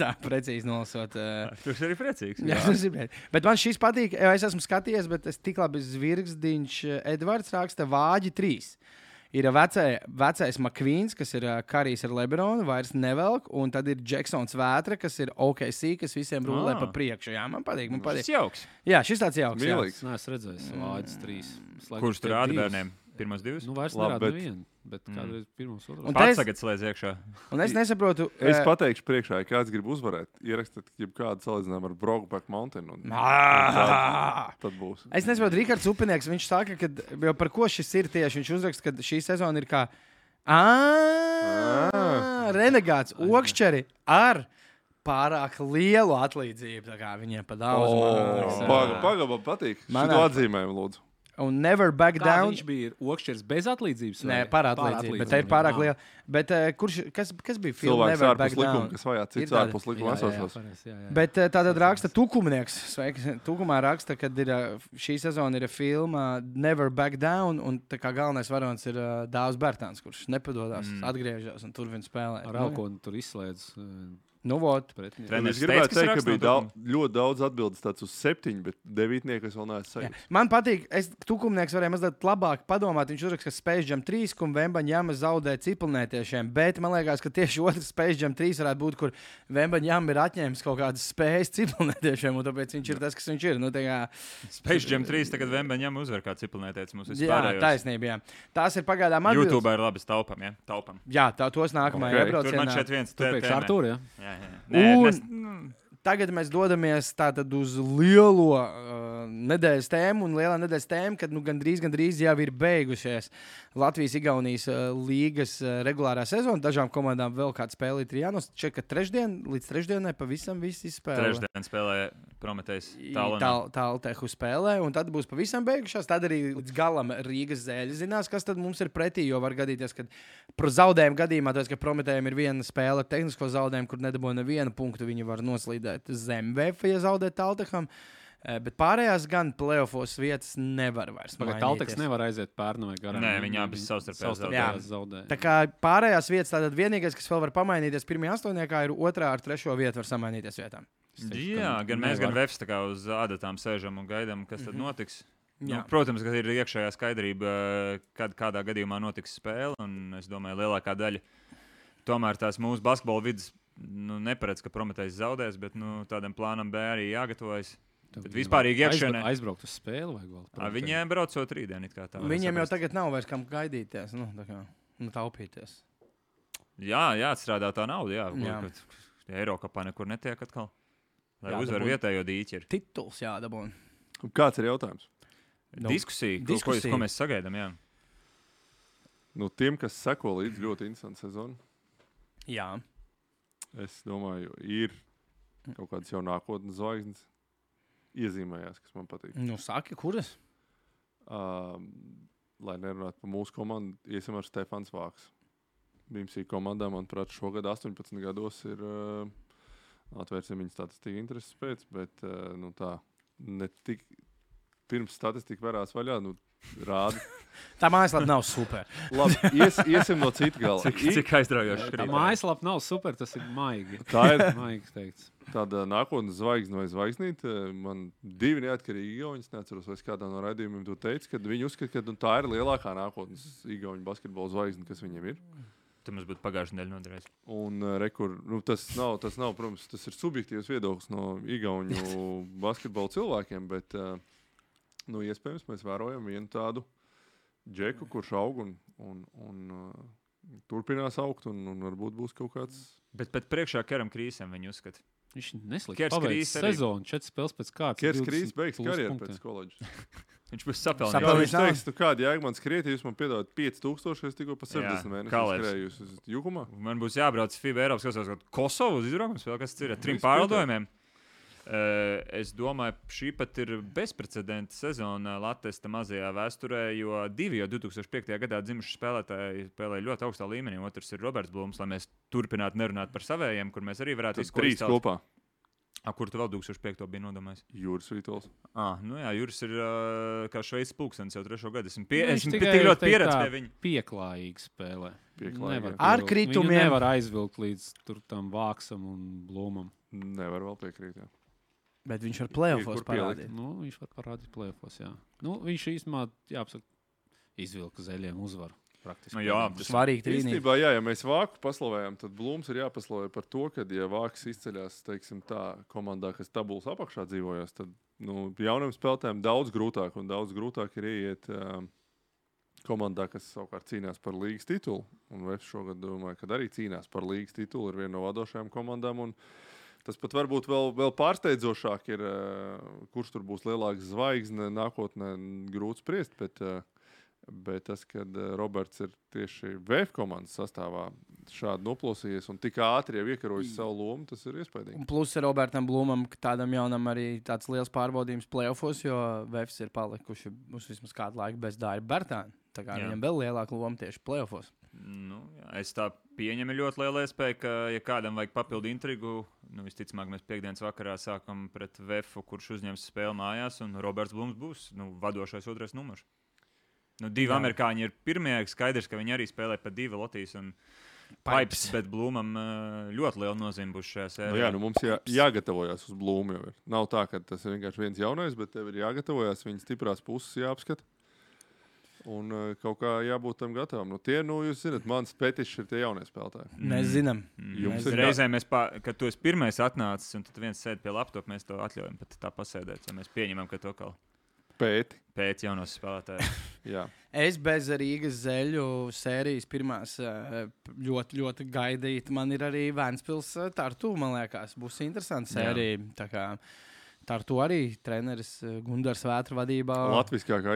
Tā precīzi nolasot. Tu esi arī priecīgs. Jā, tas ir priecīgs. Bet man šis patīk. Es esmu skatījies, bet es tik labi zvirgzdiņš. Edvards raksta Vāģi 3. Ir vecais McQueens, kas ir karīs ar Lebronu, vairs nevelk, un tad ir Džeksons Vētra, kas ir OKC, kas visiem rulē pa priekšu. Jā, man patīk. Šis jauks. Jā, šis tāds jauks. Nē, es redzēju, Vāģis 3. Kurš tur rāda bērniem? Pirmos divas? Nu, vairs Labi, nerāda bet- nevienu, bet kādreiz pirmos otros. Un Pats es- tagad slēdz iekšā. Un es nesaprotu, Es pateikšu priekšā, ja kāds grib uzvarēt, ierakstiet kādu salīdzinājumu ar Brokeback Mountain. Tad būs. Es nesaprotu, Rikards Upinieks, viņš saka, ka jau par ko šis ir tieši. Viņš uzraksta, ka šī sezona ir kā renegāts, okšķeri ar pārāk lielu atlīdzību. Tā kā viņiem pa daudz maksā. Pagaidām, patīk. Manā- Šo atzīmējumu, lūdzu. Un never back Kā down. viņš bija okšķers bez atlīdzības? Nē, vai? par atlīdzību, bet tā ir pārāk liela. Bet kas bija filma Cilvēks Never ārpus Back likuma, Down? kas vajā Ir cits tāda. ārpus likuma esošos. Bet tātad raksta Tukumnieks. Sveiks. Tukumā raksta, ka šī sezona ir filma Never Back Down, un tā kā galvenais varonis ir Dāvs Bērtāns, kurš nepadodas, atgriežas un turpina spēlēt. Ar Elkonu tur izslēdz Nu, vot. pretinieki. Treneris Es gribētu teica, teikt, kas ka bija raksta no ļoti daudz atbildes tāds uz 7, bet 9 es vēl neesmu Jā. sajūta. Man patīk, Tukumnieks varēja mazliet labāk padomāt. Viņš uzraksta, ka Space Jam 3 un Vembaņjama zaudē ciprunētiešiem, bet man liekas, ka tieši otrs Space Jam 3 varētu būt, kur Vembaņjama ir atņēmis kaut kādas spējas ciprunētiešiem, un tāpēc viņš ir tas, kas viņš ir. Nu, Space Jam 3 tagad Vembaņam uzvar kā ciprunētietis mums jā, vispār. taisnība, jā. Tās ir pagaidām atbildes. YouTube ir labi taupam, ja? Taupam. Jā, tos Ok. nākamajā Tur man iebraucienā. šeit viens Tu priekš Artūra, ja? Jā, jā. Un- Nē, Tagad mēs dodamies tātad uz lielo nedēļas tēmu, un lielā nedēļas tēma, kad gandrīz jau ir beigušies Latvijas-Igaunijas līgas regulārā sezona. Dažām komandām vēl kāda spēle ir jānosaka, ka līdz trešdienai pavisam viss izspēlē. trešdien spēlēja Prometējs Tāltehu spēlē, un tad būs pavisam beigušās. Tad arī līdz galam Rīgas zēļi zinās, kas tad mums ir pretī. Jo var gadīties, ka par zaudējumu gadījumā, tāpēc, ka Prometējiem ir viena spēle ar tehnisko zaudējumu, kur nedabūja nevienu punktu, viņi var noslīdēt zem VF, ja zaudē Tālteham. Bet pārējās gan playoffos vietas nevar vairs. Talteks nevar aiziet Pērnavai garām. Nē, viņi abi savstarpēji Jā. zaudēja. Tā kā pārējās vietas, tātad vienīgais, kas vēl var pamainīties pirmajā astoņniekā, ir otrā ar trešo vietu var samainīties vietām. Jā, gan mēs, gan Vefs tā kā uz adatām sēžam un gaidām, kas tad notiks. Nu, Jā. protams, ka ir iekšējā skaidrība, kad kādā gadījumā notiks spēle. Un es domāju, lielākā daļa tomēr tās mūsu basketbola vidas neparedz, ka Prometējs zaudēs, bet tādam plānam B arī jāgatavojas. Bet vispārīgi iekšienē Aizbraukt uz spēli vajag vēl. viņiem braucot rītdien. it kā tā var Viņiem jau saprast. tagad nav vairs kam gaidīties, taupīties. Jā, jāatstrādā tā nauda. Jā, Jā. Eirokapā nekur netiek atkal. Lai Jā, uzvar dabūt. vietējo dīķeri. Tituls jādabūna. Kāds ir jautājums? Diskusija, diskusija. ko mēs sagaidām. Jā. Nu, tiem, kas seko līdzi, ļoti interesanti sezona. Jā. Es domāju, ir kaut kādas jau nākotnes zvaigznes. Iezīmējās, kas man patīk. Nu, saki, kuras? Lai nerunātu par mūsu komandu, iesim ar Stefans Vāks. BMC komandā, manuprāt, šogad 18 gados ir atvērsim viņa statistika intereses pēc, bet tā ne tik pirms statistika varās vaļā, rāda. Tā mājaslapa nav super. Labi, iesim no cita gala. Cik aizraujoši Tā mājaslapa nav super, tas ir maigi. Tā ir Maigi teikts. tāda nākotnes zvaigzne vai zvaigznīte. Man divi neatkarīgi igauņi, es neatceros, vai es kādā no raidījumiem to teicu, kad viņi uzskata, ka tā ir lielākā nākotnes igauņu basketbola zvaigzne, kas viņiem ir. Tur mums būtu pagājušā nedēļa noderēs. Un tas nav, protams, tas ir subjektīvs viedoklis no igauņu basketbola cilvēkiem, bet iespējams mēs vērojam vienu tādu džeku, kurš aug un turpinās augt, un varbūt būs kaut kāds. Bet priekšā Keram Krīsam viņi uzskata. Viņš neslikti Kers paveic Krīs arī. sezonu, 4 spēles pēc kārtas. Kiers Krīs beigs karjeru pēc koledžas. Viņš būs Jā, sapelnījis. Sapelnījis. viņš teiks, kāda jēga man skriet, ja jūs man piedāvājat 5000, es tikko pa 60 mēnešus Kalērs. skrēju, jūs esat jukumā. Man būs jābrauc FIBA Eiropas Kausās Kosovu uz izbraukums, vēl kas ir ar 3 Viss pārlidojumiem. Es domāju, šī pat ir bezprecedenta sezona Latvijas mazajā vēsturē, jo 2 jau 2005. gadā dzimuši spēlētāji spēlēja ļoti augstā līmenī. Otrs ir Roberts Blūms, lai mēs turpinātu nerunāt par savējiem, kur mēs arī varētu Tad 3 kopā. Kur tu vēl 2005. bija nodomājis? Jūras Vītols. Jā, Juris ir kā Šveices pulkstenis jau 3. gadu. Esmu Viņš tik tikai, ļoti teikt pieredzējis tā, pie viņa. Pieklājīgi spēlē. Pieklājīgi, Nevar jā. Ar pievilkt. kritumiem. Viņu nevar aizvilkt līdz tam Vāksam un Blūmam. Nevar vēl piekrīt. Jā. Bet viņš var playoffs Kur pielikt? parādīt. Viņš var parādīt plēfos, jā. Viņš īstenībā, jāpasaka, izvilka zaļiem uzvaru. Praktiski. Jā, tas Svarīgi trīnīgi. Īstenībā, jā, ja mēs Vāku paslavējam, tad Blūms ir jāpaslavē par to, ka, ja Vāks izceļas, teiksim, tā komandā, kas tabulas apakšā dzīvojas, tad jauniem spēlētājiem daudz grūtāk ir ieiet komandā, kas savukārt cīnās par līgas titulu. Un Vefs šogad, domāju, ka arī cīnās par līgas titulu. Ir viena no vadošajām komandām. Un tas pat varbūt vēl pārsteidzošāk ir, kurš tur būs lielāks zvaigzne nākotnē, grūti spriest. Bet tas, kad Roberts ir tieši VF komandas sastāvā šādi noplosījies un tik ātri jau iekarojis savu lomu, tas ir iespaidīgi. Un plus Robertam Blūmam, tādam jaunam arī tāds liels pārbaudījums playoffos, jo VFs ir palikuši uz vismaz kādu laiku bez Dāra Bertāna. Tā kā viņam vēl lielāka loma tieši playoffos. Nu, jā, es tā pieņemu ļoti lielu iespēju, ka, ja kādam vajag papildu intrigu, visticamāk, mēs piekdienas vakarā sākam pret VF, kurš uzņems spēli mājās, un Roberts Blūms būs vadošais otrais numurs. Divi amerikāņi ir pirmie, skaidrs, ka viņi arī spēlē pa divi Latvijas un Pipes, bet Blūmam ļoti liela nozīme būs šajā sērijā. Mums jāgatavojas uz Blūmu. Nav tā, ka tas ir vienkārši viens jaunais, bet tev ir jāgatavojas, viņa stiprās puses jāapskata. Un kaut kā jābūt tam gatavam. Jūs zināt, mans petišs ir tie jaunie spēlētāji. Mēs zinām. Reizēm, kad tu esi pirmais atnācis, un tad viens sēd pie laptopa, mēs to atļaujam pat tā pasēdēt, ja mēs pieņemam, ka to kaut pēc jaunos spēlētājus. Es bez Rīgas zeļu sērijas pirmās ļoti, ļoti gaidīju. Man ir arī Vēnspils Tartu, man liekas, būs interesanta sērija. Tā kā Tartu arī treneris Gundars Vētra vadībā. Latviskākā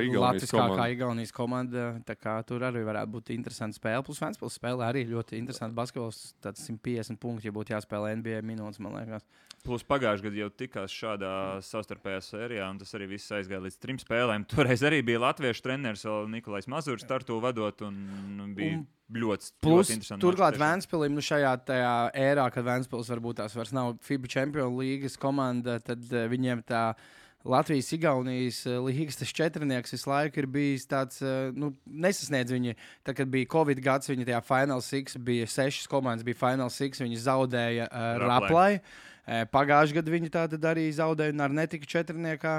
Igaunijas komanda. Tā kā tur arī varētu būt interesanta spēle. Plus Vēnspils spēlē arī ļoti interesanti basketbols. Tāds 150 punkti, ja būtu jāspēlē NBA minūtes, man liekas. Plus pagājušajā gadā jau tikās šādā savstarpējā sērijā, un tas arī viss aizgāja līdz 3 spēlēm. Toreiz arī bija latviešu treneris Nikolais Mazurs Tartu vadot, un bija ļoti interesanti. Turklāt Vēnspilim šajā ērā, kad Vēnspils varbūt tās vairs nav FIBA Champions līgas komanda, tad viņiem tā Latvijas-Igaunijas līgas tas četrnieks visu laiku ir bijis tāds, nesasniedz viņi. Tad, kad bija Covid gads, viņi tajā Final Six bija 6 komandas, bija Final Six, viņi zaudēja Raplai. Pagājušajā gadā viņi tātad arī zaudēja un ar netika četrniekā.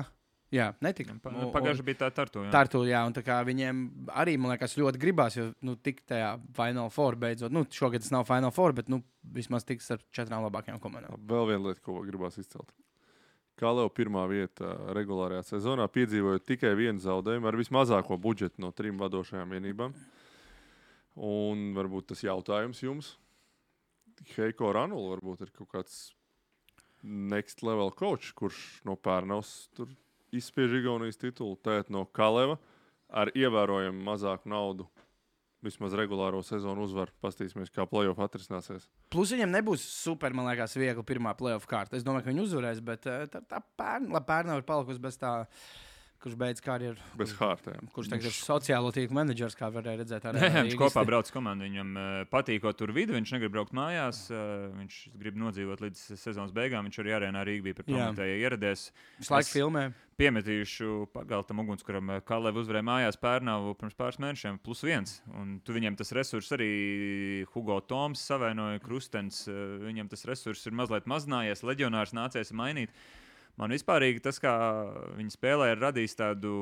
Jā, netika. Pagājušajā bija tā Tartu. Tartu, jā, un tā kā viņiem arī, man liekas, ļoti gribās, jo tik tajā Final Four beidzot. Šogad tas nav Final Four, bet vismaz tiks ar 4 labākajām komandām. Vēl viena lieta, ko gribās izcelt. Kaleo pirmā vieta regulārajā sezonā piedzīvoja tikai vienu zaudējumu ar vismazāko budžetu no 3 vadošajām vienībām. Un varbūt tas jautājums jums. Heiko Ranula varbūt ir kaut kāds next level coach, kurš no Pērnavas tur izspiež Igaunijas titulu, tēt no Kaleva ar ievērojumu mazāku naudu. Vismaz regulāro sezonu uzvar. Pastīsimies, kā playoff atrisināsies. Plus viņam nebūs super, man liekas, viegli pirmā playoff kārta. Es domāju, ka viņi uzvarēs, bet tā Pērnava ir palikusi bez tā, kurš beidz karjeru. Bez hārtēm. Kurš tagad ir sociālo tīklu menedžers, kā varēja redzēt. Viņš kopā brauc komandu. Viņam patīkot tur vidu, viņš negrib braukt mājās. Viņš grib nodzīvot līdz sezonas beigām. Viņš arī arēnā Rīgā bija par prometēju ieradies. Visu laiku filmē. Piemetīšu pagaltam ugunskuram Kalev uzvarēja mājās Pērnavu pirms pāris mēnešiem +1. Un tu viņiem tas resurs arī Hugo Toms savainoja, Krustens. Viņam tas resurs ir mazliet mazinājies. Leģionārs nācies mainīt. Man vispārīgi tas, kā viņi spēlē, ir radījis tādu,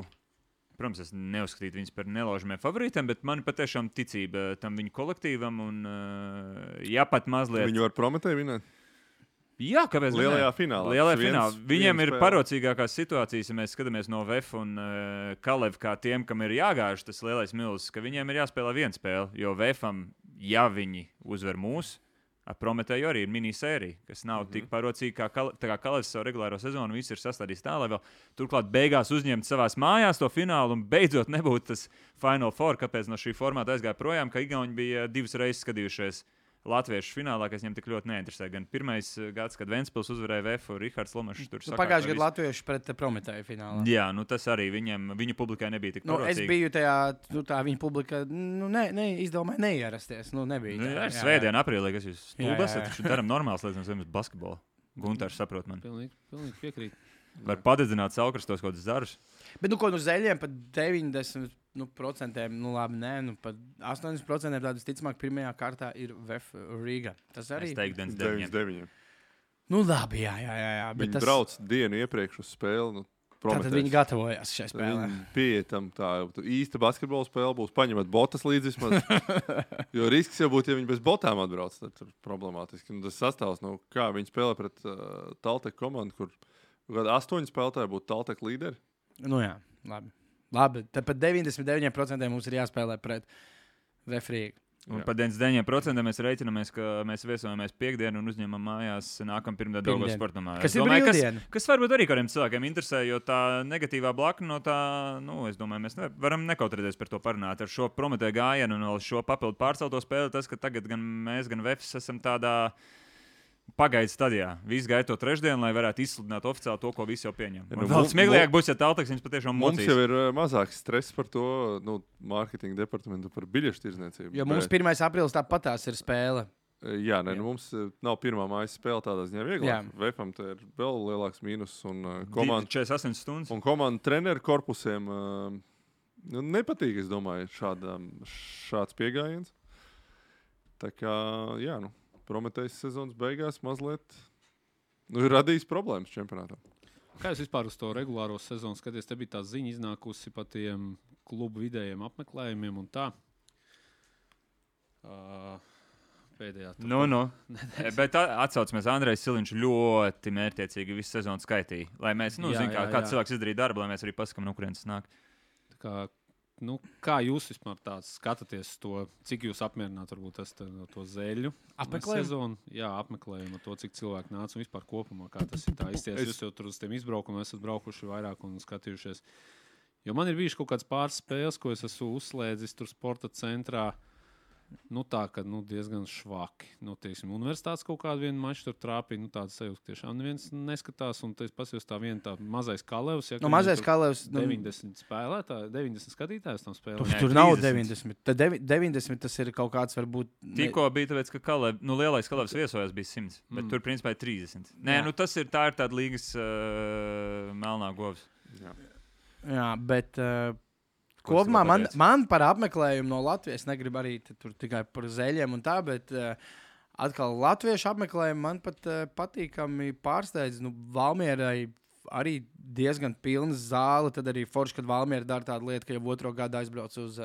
protams, es neuzskatītu viņus par nelaužamiem favorītiem, bet man patiešām ticība tam viņu kolektīvam un pat mazliet. Viņi var Prometēju vinēt? Jā, kāpēc? Lielajā finālā. Viņiem ir parocīgākās situācijas, ja mēs skatāmies no VF un Kalev kā tiem, kam ir jāgāž tas lielais milzis, ka viņiem ir jāspēlē viena spēle, jo VFam, ja viņi uzvar mūs, ar Prometēju arī ir minisērija, kas nav tik parocīga kā Kalevs savu regulāro sezonu. Viss ir sastādījis tā, lai vēl turklāt beigās uzņemt savās mājās to finālu un beidzot nebūtu tas Final Four, kāpēc no šī formāta aizgāja projām, ka Igauni bija 2 reizes skatījušies latviešu finālā, kas viņam tik ļoti neinteresē. Gan pirmais gads, kad Ventspils uzvarēja VF, Rihards Lomašs tur sakārtoja. Pagājušajā gadā latvieši pret Prometēju finālā. Jā, tas arī viņu publikai nebija tik parocīgi. Es biju tajā, tā viņa publika, izdomāja neierasties. Nebija. Svētdien, aprīlī, kas jūs stulbi esat, taču daram normāls lietas, nevis basketbolu. Guntārs saprot man. Pilnīgi piekrīt. Var padedzināt saukrastos kaut kādus zarus. Bet zeļiem pat 90%, labi, pat 80% tādas ticamāk pirmajā kārtā ir VF Rīga. Tas arī ir 99. Labi, jā. Viņi brauc dienu iepriekš uz spēli. Tātad viņi gatavojās šai spēlē. Pieetam tā īsta basketbola spēle būs. Paņemat botas līdzi vismaz. Jo risks jau būtu, ja viņi bez botām atbrauc. Tad ir problemātiski. Tas sastāvs, kā viņi spēlē pret Taltek komandu, kur 8 spēlētāji būtu Taltek līderi. Jā, labi. Labi, tad pat 99% mums ir jāspēlē pret referiju. Un par 99% mēs rēķinamies, ka mēs viesojamies piekdienu un uzņemam mājās nākamā pirmdiena Daugavas sportamā. Kas ir brīvdiena? Kas varbūt arī kādiem cilvēkiem interesē, jo tā negatīvā blakna no tā, es domāju, mēs varam nekautrēties par to parunāt. Ar šo Prometēju gājienu un šo papildu pārcelto spēli, tas, ka tagad gan mēs, gan Vefs esam tādā pagaidu stadijā. Visi gaida to trešdienu, lai varētu izsludināt oficiāli to, ko visi jau pieņem. Vēl smieklīgāk būs, ja Talteks viņus patiešām mocīs. Mums jau ir mazāks stress par to, mārketinga departamentu par biļešu tirdzniecību. Jo mums 1. aprīlis tāpatās ir spēle. Jā, mums nav pirmā mājas spēle tādā ziņā vieglāk. Vefam te ir vēl lielāks mīnus un komanda 48 stundas. Un komanda treneru korpusiem nepatīk, es domāju, šāds pieejams. Tā kā, Prometējas sezonas beigās mazliet ir radījis problēmas čempionātā. Kā jūs vispār uz to regulāro sezonu skaties? Te bija tā ziņa iznākusi par tiem klubu vidējiem apmeklējumiem un tā. Pēdējā. Bet atsaucamies, Andrejs Siliņš ļoti mērķiecīgi visu sezonu skaitīja. Lai mēs, kāds cilvēks izdarīja darbu, lai mēs arī pasakām, no kurienes nāk. Kā jūs vispār skatāties to, cik jūs apmierināt varbūt to zeļu sezonu? Jā, apmeklējumu to, cik cilvēki nāca un vispār kopumā, kā tas ir tā izties. Jūs jau tur uz tiem izbraukumiem esat braukuši vairāk un skatījušies. Jo man ir bijuši kaut kāds pāris spēles, ko es esmu uzslēdzis tur sporta centrā. Tā, ka diezgan švaki. Teiksim, universitātes kaut kādu vienu maču tur trāpīja. Tāda sajūta, ka tiešām neviens neskatās. Un es pasījos tā viena tā mazais Kalevs. Ja, mazais Kalevs. 90 spēlētāji, 90 skatītājs tam spēlē. Tur nav 90. Tad 90 tas ir kaut kāds varbūt... Tikko bija tāpēc, ka lielais Kalevs viesojās bija 100. Bet tur principā ir 30. Nē, tā ir tāda līgas melnā govs. Jā, bet... Kopumā man par apmeklējumu no Latvijas negribu arī tur tikai par zeļiem un tā, bet atkal latviešu apmeklējumu man pat patīkami pārsteidz. Valmierai arī diezgan pilna zāle, tad arī forši, kad Valmiera dara tādu lietu, ka jau otro gadu aizbrauc uz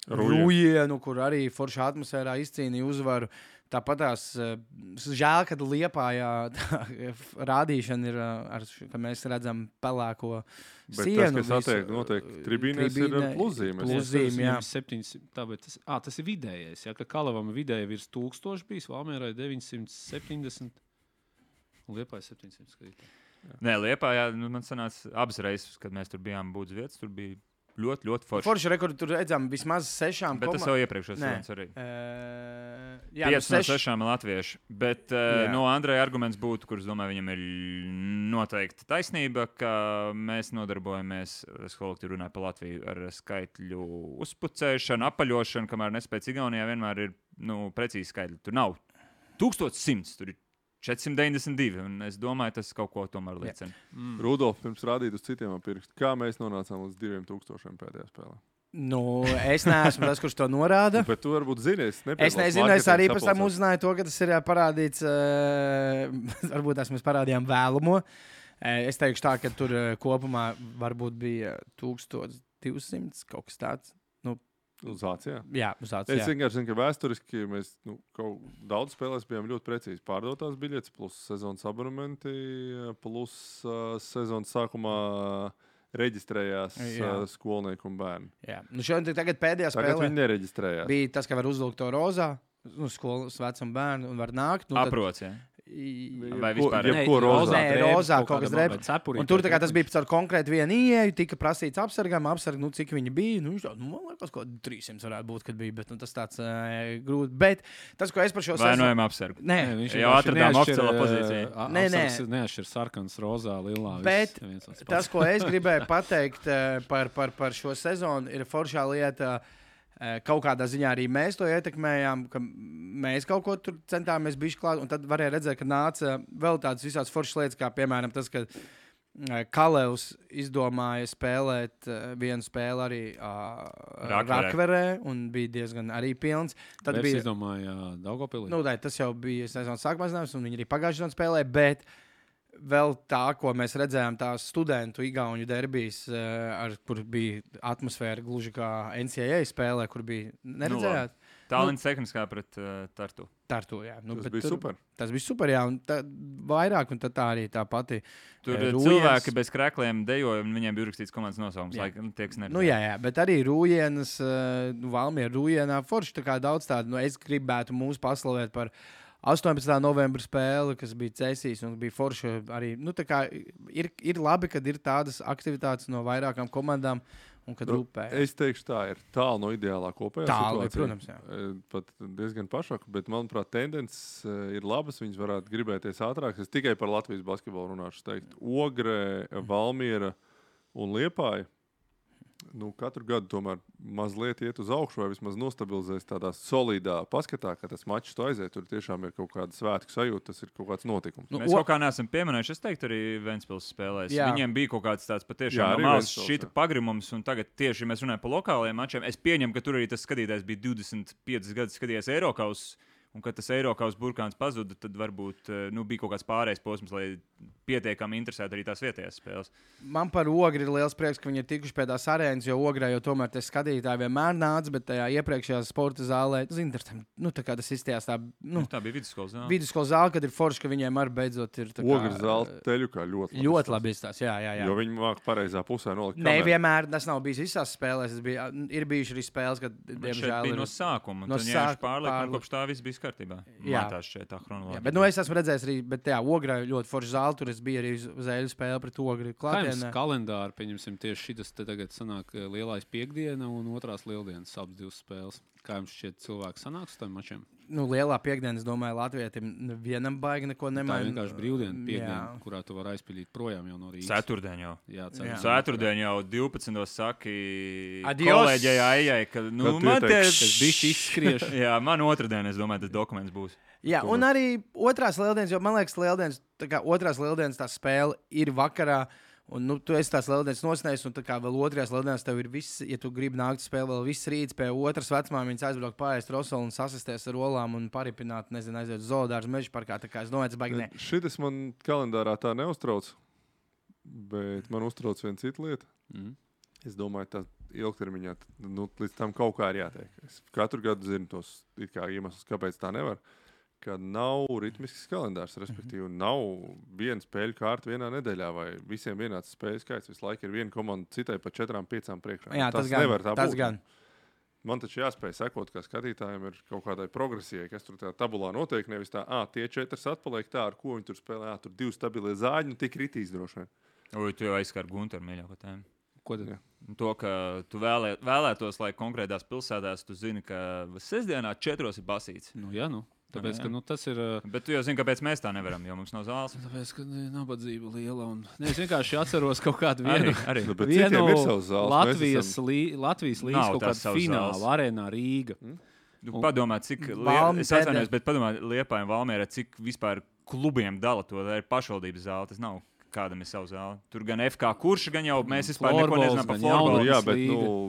Rujienu, kur arī forša atmosfērā izcīnīja uzvaru. Tāpat tās žēl, kad Liepājā rādīšana ir, ka mēs redzam pelēko sienu. Bet tas, kas notiek tribīnēs, ir pluzīmes. Pluzīme, jā. 700, tas ir vidējais. Ja, ka Kalevam vidēji virs 1000 bijis, Valmierai 970 un Liepājā 700 skatītāji. Nē, Liepājā man sanāca abas reizes, kad mēs tur bijām būdz vietas, tur bija ļoti, ļoti forši. Forši rekordi tur redzam vismaz 6. Bet tas jau iepriekšējos sezonas arī. Jā, 5 no 6 latvieši. Bet no Andreja arguments būtu, kurš, domāju, viņam ir noteikti taisnība, ka mēs nodarbojamies, es kolektīvi runāju par Latviju, ar skaitļu uzpucēšanu, apaļošanu, kamēr nespēc Igaunijā vienmēr ir precīzi skaitļi. Tur nav 1100, tur ir 492, un es domāju, tas kaut ko tomēr liecina. Rudolf, pirms rādīt uz citiem pirkstu, kā mēs nonācām līdz 2000 pēdējā spēlē? Es neesmu tas, kurš to norāda. Bet tu varbūt zini, es nezinu, es arī pēc tam uzzināju to, ka tas ir parādīts, varbūt mēs parādījām vēlamo. Es teikšu tā, ka tur kopumā varbūt bija 1200, kaut kas tāds. Uz Vācijā? Jā, uz Vācijā. Es vienkārši zinu, ka vēsturiski mēs daudz spēlēs bijām ļoti precīzi pārdotās biļetes, plus sezonas abonementi, plus sezonas sākumā reģistrējās skolnieki un bērni. Jā. Šodien tagad pēdējā spēlē viņi nereģistrējās. Bija tas, ka var uzvilkt to rozā, skolas vecam bērnu un var nākt. Aprots, jā. Vai vispār rozā? Nē, rozā kaut kas drēbs. Un tur tas bija par konkrēti vienu ieeju, tika prasīts apsargam, cik viņi bija. Man liekas, ko 300 varētu būt, kad bija, bet tas tāds grūti. Bet tas, ko es par šo sezonu... Vainojam apsargu. Nē, viņš jau atradām oficiālā pozīcijā. Nē. Neatšķir sarkans, rozā, lilā. Bet tas, ko es gribēju pateikt par šo sezonu, ir foršā lieta... Kaut kādā ziņā arī mēs to ietekmējām, ka mēs kaut ko tur centāmies bišķi klāt, un tad varēja redzēt, ka nāca vēl tādas visās foršas lietas, kā piemēram tas, ka Kalevs izdomāja spēlēt vienu spēli arī Rakverē, un bija diezgan arī pilns. Tad bija izdomāja Daugavpilī. Tas jau bija sezonas sākumā, un viņi arī pagājušajā sezonā spēlēja, bet vēl tā, ko mēs redzējām, tās studentu igauņu derbijas, kur bija atmosfēra gluži kā NCAA spēlē, kur bija neredzējāt. Talents tehniskā pret Tartu. Tartu, jā. Tas bija super. Tas bija super, jā. Un vairāk, un tā arī tā pati. Tur Rūjens. cilvēki bez krēkliem dejoja, un viņiem bija rakstīts komandas nosaukums. Jā, bet arī Rūjienas, Valmiera Rūjienā forši tā kā daudz tādu, es gribētu mūs paslavēt par 18. novembra spēli, kas bija Cēsīs, un bija forši arī, tā kā ir labi, kad ir tādas aktivitātes no vairākām komandām, un kad rūpē. Es teikšu tā, ir tālu no ideālā kopējā situācija. Protams, jā. Pat diezgan pašāk, bet manuprāt, tendences ir labas, viņas varētu gribēties ātrāk. Es tikai par Latvijas basketbolu runāšu, teikt. Ogre, Valmiera un Liepāja. Katru gadu tomēr mazliet iet uz augšu, vai vismaz nostabilizēs tādā solidā paskatā, ka tas mačs to aiziet. Tur tiešām ir kaut kāda svētku sajūta, tas ir kaut kāds notikums. Mēs kaut kā neesam pieminējuši, es teiktu, arī Ventspils spēlēs. Jā. Viņiem bija kaut kāds tāds patiešām mazs šita pagrimums, un tagad tieši mēs runājam par lokālajiem mačiem. Es pieņemu, ka tur arī tas skatītājs bija 25 gadus skatījies Eirokaus. Un, kad tas Eiropas burkāns pazuda, tad varbūt bija kaut kāds pārējais posms, lai pietiekami interesētu arī tās vietējās spēles. Man par Ogri ir liels prieks, ka viņi ir tikuši pie tās arēnas, jo Ogrā jau tomēr tie skatītāji vienmēr nāca, bet tajā iepriekšējā sporta zālē, tā kā tas izstījās tā. Tā bija vidusskolas zāle. Vidusskolas zāle, kad ir forši, ka viņiem arī beidzot ir tā kā... Ogri zāle teļukā ļoti labi izstās, jā. Jo viņi māk pareizā pusē nolikt kameru. Nevienmēr, tas nav bijis visās spēlēs, ir bijuši arī spēles, kad, diemžēl, bija no sākuma, un tad pārliek, kopš tā viss bija kārtībā. Jā, tā chronoloģija. Bet es esmu redzējis arī, bet Ogrā ļoti forši zāle, tur es biju arī uz eļu spēli pret Ogri klātienē. Kalendāri, pieņemsim, tieši šitas te tagad sanāk lielais piekdiena un otrās lieldienas abas divas spēles. Kā jums šķiet cilvēki sanāks uz tiem mačiem? Lielā piekdiena, es domāju, Latvijiem vienam baigi neko nemaina. Tā vienkārši brīvdiena piekdiena, kurā tu vari aizpildīt projām jau no Rīgas. Ceturtdien jau. Jā, ceturtdien jau 12. saki kolēģei Aijai, ka man tas bišķi izskriež. Jā, man otrdien, es domāju, tas dokuments būs. Jā, un arī otrās lieldienas, jo man liekas, otrās lieldienas tā spēle ir vakarā. Un tu esi tās lieldienas nosnējis, un vēl otrajās lieldienas tev ir viss, ja tu gribi nākt spēlēt, vēl viss rīts pie otras vecmāmiņas aizbraukt pāriest rosolu un sasisties ar olām un paripināt, aiziet uz zoodārzu meža parkā. Tā kā es domāju, tas baigi ne. Šitas man kalendārā tā neuztrauc, bet man uztrauc viena cita lieta. Es domāju, tā ilgtermiņā, līdz tam kaut kā ir jātiek. Es katru gadu zinu tos iemeslus, kāpēc tā nevar. Ka nav ritmisks kalendārs, respektīvi, nav viena spēļu kārta vienā nedēļā, vai visiem vienāds spēļu skaits. Visu laiku ir viena komanda citai pa 4-5 priekšā. Jā, tas nevar tā būt. Gan. Man taču jāspēj sekot, kā skatītājiem ir kaut kādai progresijai, kas tur tajā tabulā notiek. Nevis tā, tie 4 atpaliek tā, ar ko viņi tur spēlē. Tur 2 stabilie zāģi, un tie kritīs droši vien. Tu jau aizskar Gunteru mīļāko tēmu. Ko tad? To, ka tu vēlētos, lai konkrētās pilsētās tu zini, ka sestdienā 4 ir basīts. Tāpēc, ka tas ir. Bet tu jau zini, kāpēc mēs tā nevaram, jo mums nav zāles. Tāpēc, ka nabadzība liela. Es vienkārši atceros kaut kādu vienu Latvijas līnijas kaut kādu finālu arēnā Rīga. Padomā, cik es atvainojos, bet padomā Liepājai un Valmierai, cik vispār klubiem dala to, tā ir pašvaldības zāle, tas nav. Kādam ir savu zāli. Tur gan FK kurš, gan jau mēs vispār neko nezinām par florbolu. Jā, bet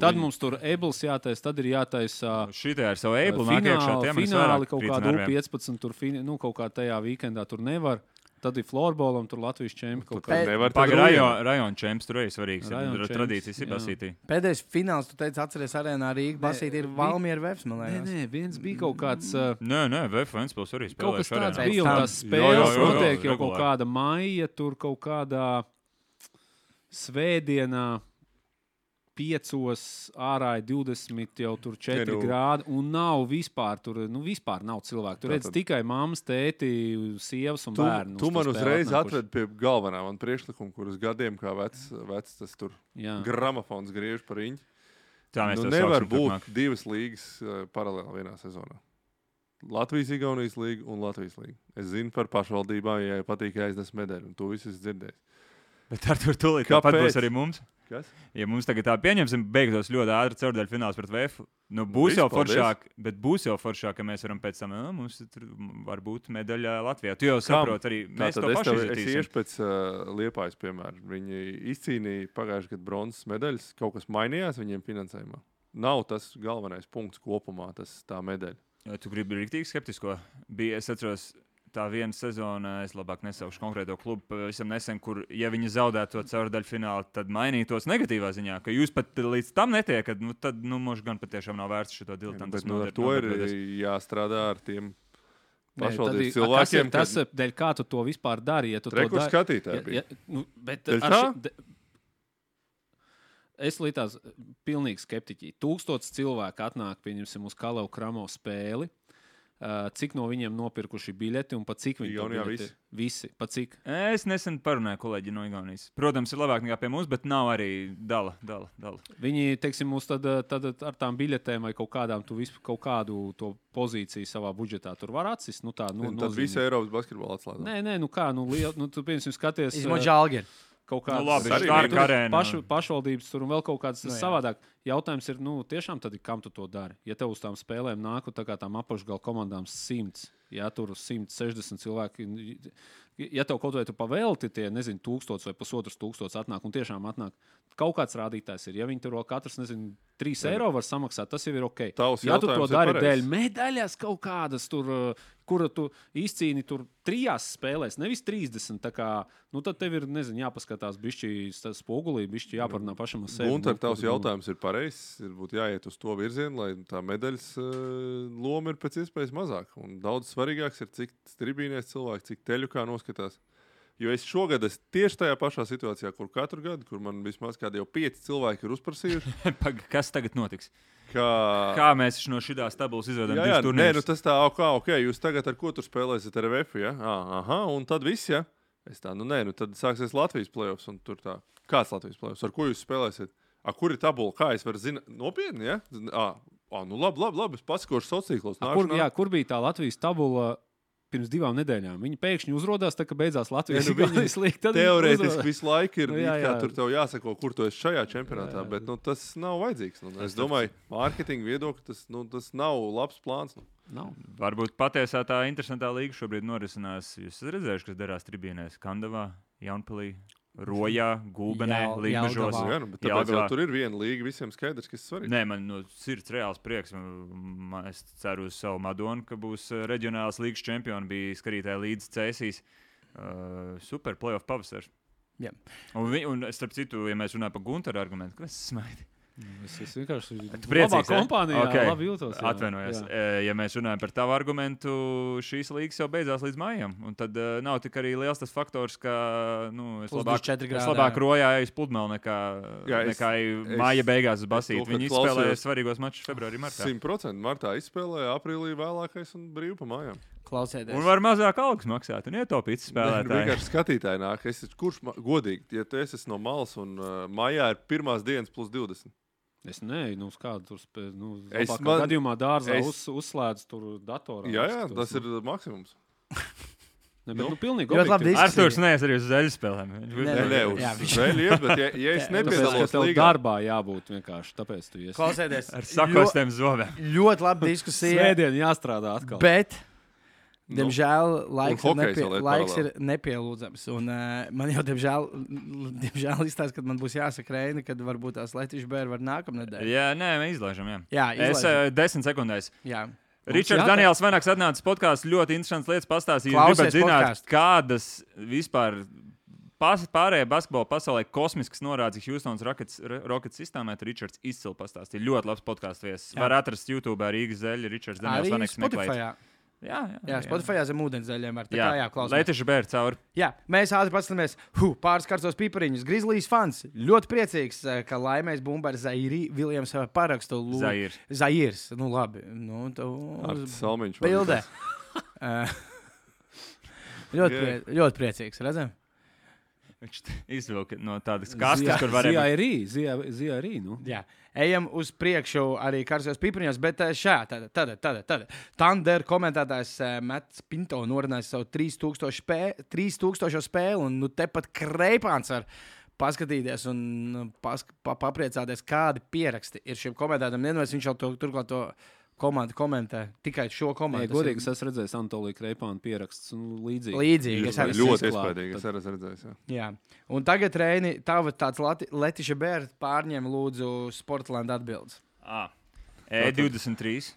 tad mums tur ebls jātais, tad ir jātaisa šitajā ar savu eblu nāk iekšā. Fināli kaut kādu 15, tur kaut kā tajā weekendā tur nevar. Tad ir florbolam, tur Latvijas čempi kaut kā. Rajona čemps tur arī svarīgs. Tradīcijas ir basītī. Pēdējais fināls, tu teici, atceries arēnā Rīga. Basītī ir Valmiera Vefs, man liekas. Nē, viens bija kaut kāds. Nē, Vef Ventspils arī spēlēja. Kaut kas tāds bija, un tās spēles notiek jau kaut kāda maija, tur kaut kādā svētdienā 5 ārā ir 20, jau tur 4 grādi, un nav vispār, tur vispār nav cilvēku. Tur redz tikai mammas, tēti, sievas un bērni. Tu man uzreiz atved pie galvenā man priekšlikuma, kuras gadiem kā vecs tas tur gramofons griež par riņķi. Nevar būt 2 līgas paralēli vienā sezonā. Latvijas-Igaunijas līga un Latvijas līga. Es zinu par pašvaldībām, ja patīk aiznes medaļu, un tu viss esi dzirdējis. Bet ar to tūlīt tāpat būs arī mums. Kas? Ja mums tagad tā pieņemsim, beigtos ļoti ātri caurdaļu fināls pret VF, būs jau foršāk, bet būs jau foršāk, ka mēs varam pēc tam, mums tur var būt medaļa Latvijā. Tu jau saproti arī, mēs to paši izjutīsim. Es iešu pēc Liepājas, piemēram. Viņi izcīnīja pagājušajā gadā bronzas medaļas, kaut kas mainījās viņiem finansējumā. Nav tas galvenais punkts kopumā, tā medaļa. Tu gribi riktīgi skeptisko? Es atceros, tā viena sezona, es labāk nesaukšu konkrēto klubu, pavisam nesen, kur, ja viņi zaudētu to caurdaļfinālu, tad mainītos negatīvā ziņā, ka jūs pat līdz tam netiekat, tad, mums gan patiešām nav vērts šo diletantismu. Bet ar to ir jāstrādā ar tiem pašvaldības cilvēkiem. Tas dēļ kā tu to vispār dari, ja tu to dari. Skatītāji bija. Es līdzās pilnīgi skeptiķi. 1000 cilvēku atnāk, pieņemsim, uz Kalevu Kramo spēli. Cik no viņiem nopirkuši biļeti un pa cik viņi to biļeti? Visi. Pa cik? Es nesen parunāju kolēģi no Igaunijas. Protams, ir labāk nekā pie mums, bet nav arī dala. Viņi, teiksim, mums tad ar tām biļetēm vai kaut kādām, tu visu kaut kādu to pozīciju savā budžetā tur var atsist. Tad visi Eiropas basketbola atslēdz. Nē, tu piemēram skaties. Izmot Žalgiri. Kaut kādas pašvaldības tur un vēl kaut kādas savādāk. Jautājums ir, tiešām tad, kam tu to dari? Ja tev uz tām spēlēm nāk tā kā tām apakšgala komandām 100, ja tur 160 cilvēki, ja tev kaut vai tu pavēlti tie, 1000 vai 1500 atnāk un tiešām atnāk, kaut kāds rādītājs ir. Ja viņi tur vēl katrs, 3 eiro var samaksāt, tas jau ir ok. Ja tu to dari dēļ medaļas kaut kādas tur, kura tu izcīni tur 3 spēlēs, nevis 30, tā kā, tad tev ir, jāpaskatās bišķi spogulī, bišķi jāparunā pašam uz sevi. Gunter, tavs jautājums ir pareizs, ir būtu jāiet uz to virzienu, lai tā medaļas loma ir pēc iespējas mazāk. Un daudz svarīgāks ir, cik tribīnēs cilvēki, cik teļu kā noskatās. Jo es šogad tieši tajā pašā situācijā, kur katru gadu, kur man vismaz kādi jau 5 cilvēki ir uzprasījuši. Kas tagad notiks? Kā mēs no šitās tabulas izvedam divas turnīrus? Tas tā, ok, jūs tagad ar ko tur spēlēsiet ar VF, ja? Aha, un tad viss, ja? Es tā, tad sāksies Latvijas playoffs, un tur tā. Kāds Latvijas playoffs? Ar ko jūs spēlēsiet? Kur ir tabula? Kā es varu zināt? Nopietni, ja? Labi, es pasakošu sociālos tīklos. Kur bija tā Latvijas tabula pirms 2 nedēļām? Viņi pēkšņi uzrodās, tā kā beidzās Latvijas līga. Teorētiski visu laiku ir tur tev jāsako, kur tu esi šajā čempionātā, bet tas nav vajadzīgs. Es domāju, mārketinga viedokļi, tas nav labs plāns. Nav. Varbūt patiesā tā interesantā līga šobrīd norisinās. Jūs esat redzējuši, kas darās tribīnēs Kandavā, Jaunpilī, Rojā, Gulbenē, Līgmežos. Tāpēc jau tur ir viena līga, visiem skaidrs, kas svarīgi. Nē, man sirds reāls prieks. Es ceru uz savu Madonu, ka būs reģionāls līgas čempioni. Bija skatītāji līdz Cēsīs. Super playoff pavasars. Yeah. Un starp citu, ja mēs runājam par Gunteru argumentu, kas smaidi? Es vienkārši labā kompānijā labi jūtos. Atvainojos. Ja mēs runājam par tavu argumentu, šīs līgas jau beidzās līdz maijam. Un tad nav tik arī liels tas faktors, ka es labāk Rojā eju uz pludmali nekā maija beigās uz basīti. Viņi izspēlēja svarīgos mačus februārī, martā. 100% martā izspēlēja, aprīlī vēlākais un brīvi pa mājām. Klausieties. Un var mazāk algas maksāt un ietaupīt spēlētāji. Vienkārši skatītāji nāk. Kurš godīgi, ja tu esi no malas un maijā ir pirmās dienas plus 20? Es neju, uz kādu tur labākā gadījumā dārzā uzslēdz tur datorā. Jā, tas ir maksimums. Pilnīgi Arturs nees arī uz zeļu spēlēm. Nē, uz zeļu iet, bet ja es nepiedalos līgā. Darbā jābūt vienkārši, tāpēc tu iesi. Klausieties. Ar sakostiem zobiem. Ļoti laba diskusija. Svētdien jāstrādā atkal. Bet diemžēl laiks ir nepielūdzams. Un, man jau, diemžēl izstāsta, ka man būs jāsaka Reini, kad varbūt tās Latvijas bērni var nākamnedēļ. Jā, nē, mēs izlaižam. Es 10 sekundēs. Jā. Ričards Daniels Venaks atnācis podkāsts, ļoti interesants lietas pastāstīja. Jūs gribat zināt, kādas vispār pārējā basketbola pasaulē kosmiskas norādes Houstonas Rockets sistēmā, tad Ričards izcili pastāstīja. Ļoti labs podkāsts viesis. Var atrast YouTube Rīgas zeļu, Ričards Daniels Venaks meklēt. Jā, Spotify zem ūdenszeļiem var. Latvijas bērni cauri. Jā, mēs ātri paskatāmies. Pāris karstos pipariņus. Grizzlies fans. Ļoti priecīgs, ka laimēs bumba ar Zairi Viljams parakstu. Zairs. Labi. Salmiņš. Bildē. Ļoti priecīgs, redzam? Viņš izvilka no tādas kastes, kur varēja... Zijārī. Jā. Ejam uz priekšu arī karstos pipariņos, bet tad. Thunder komentētājs Mats Pinto norunājis savu 3000 spēli, un tepat Kreipāns var paskatīties un papriecāties, kādi pieraksti ir šiem komentētājiem. Neviens viņš jau turklāt to komandu komentē, tikai šo komandu. Godīgi, es esmu redzējis Antoliju Kreipānu pierakstus un līdzīgi. Līdzīgi. Ļoti iespējīgi, es arī redzējis. Jā. Un tagad, Reini, tāds Letiša Bērta pārņem lūdzu Sportland atbildes. E23,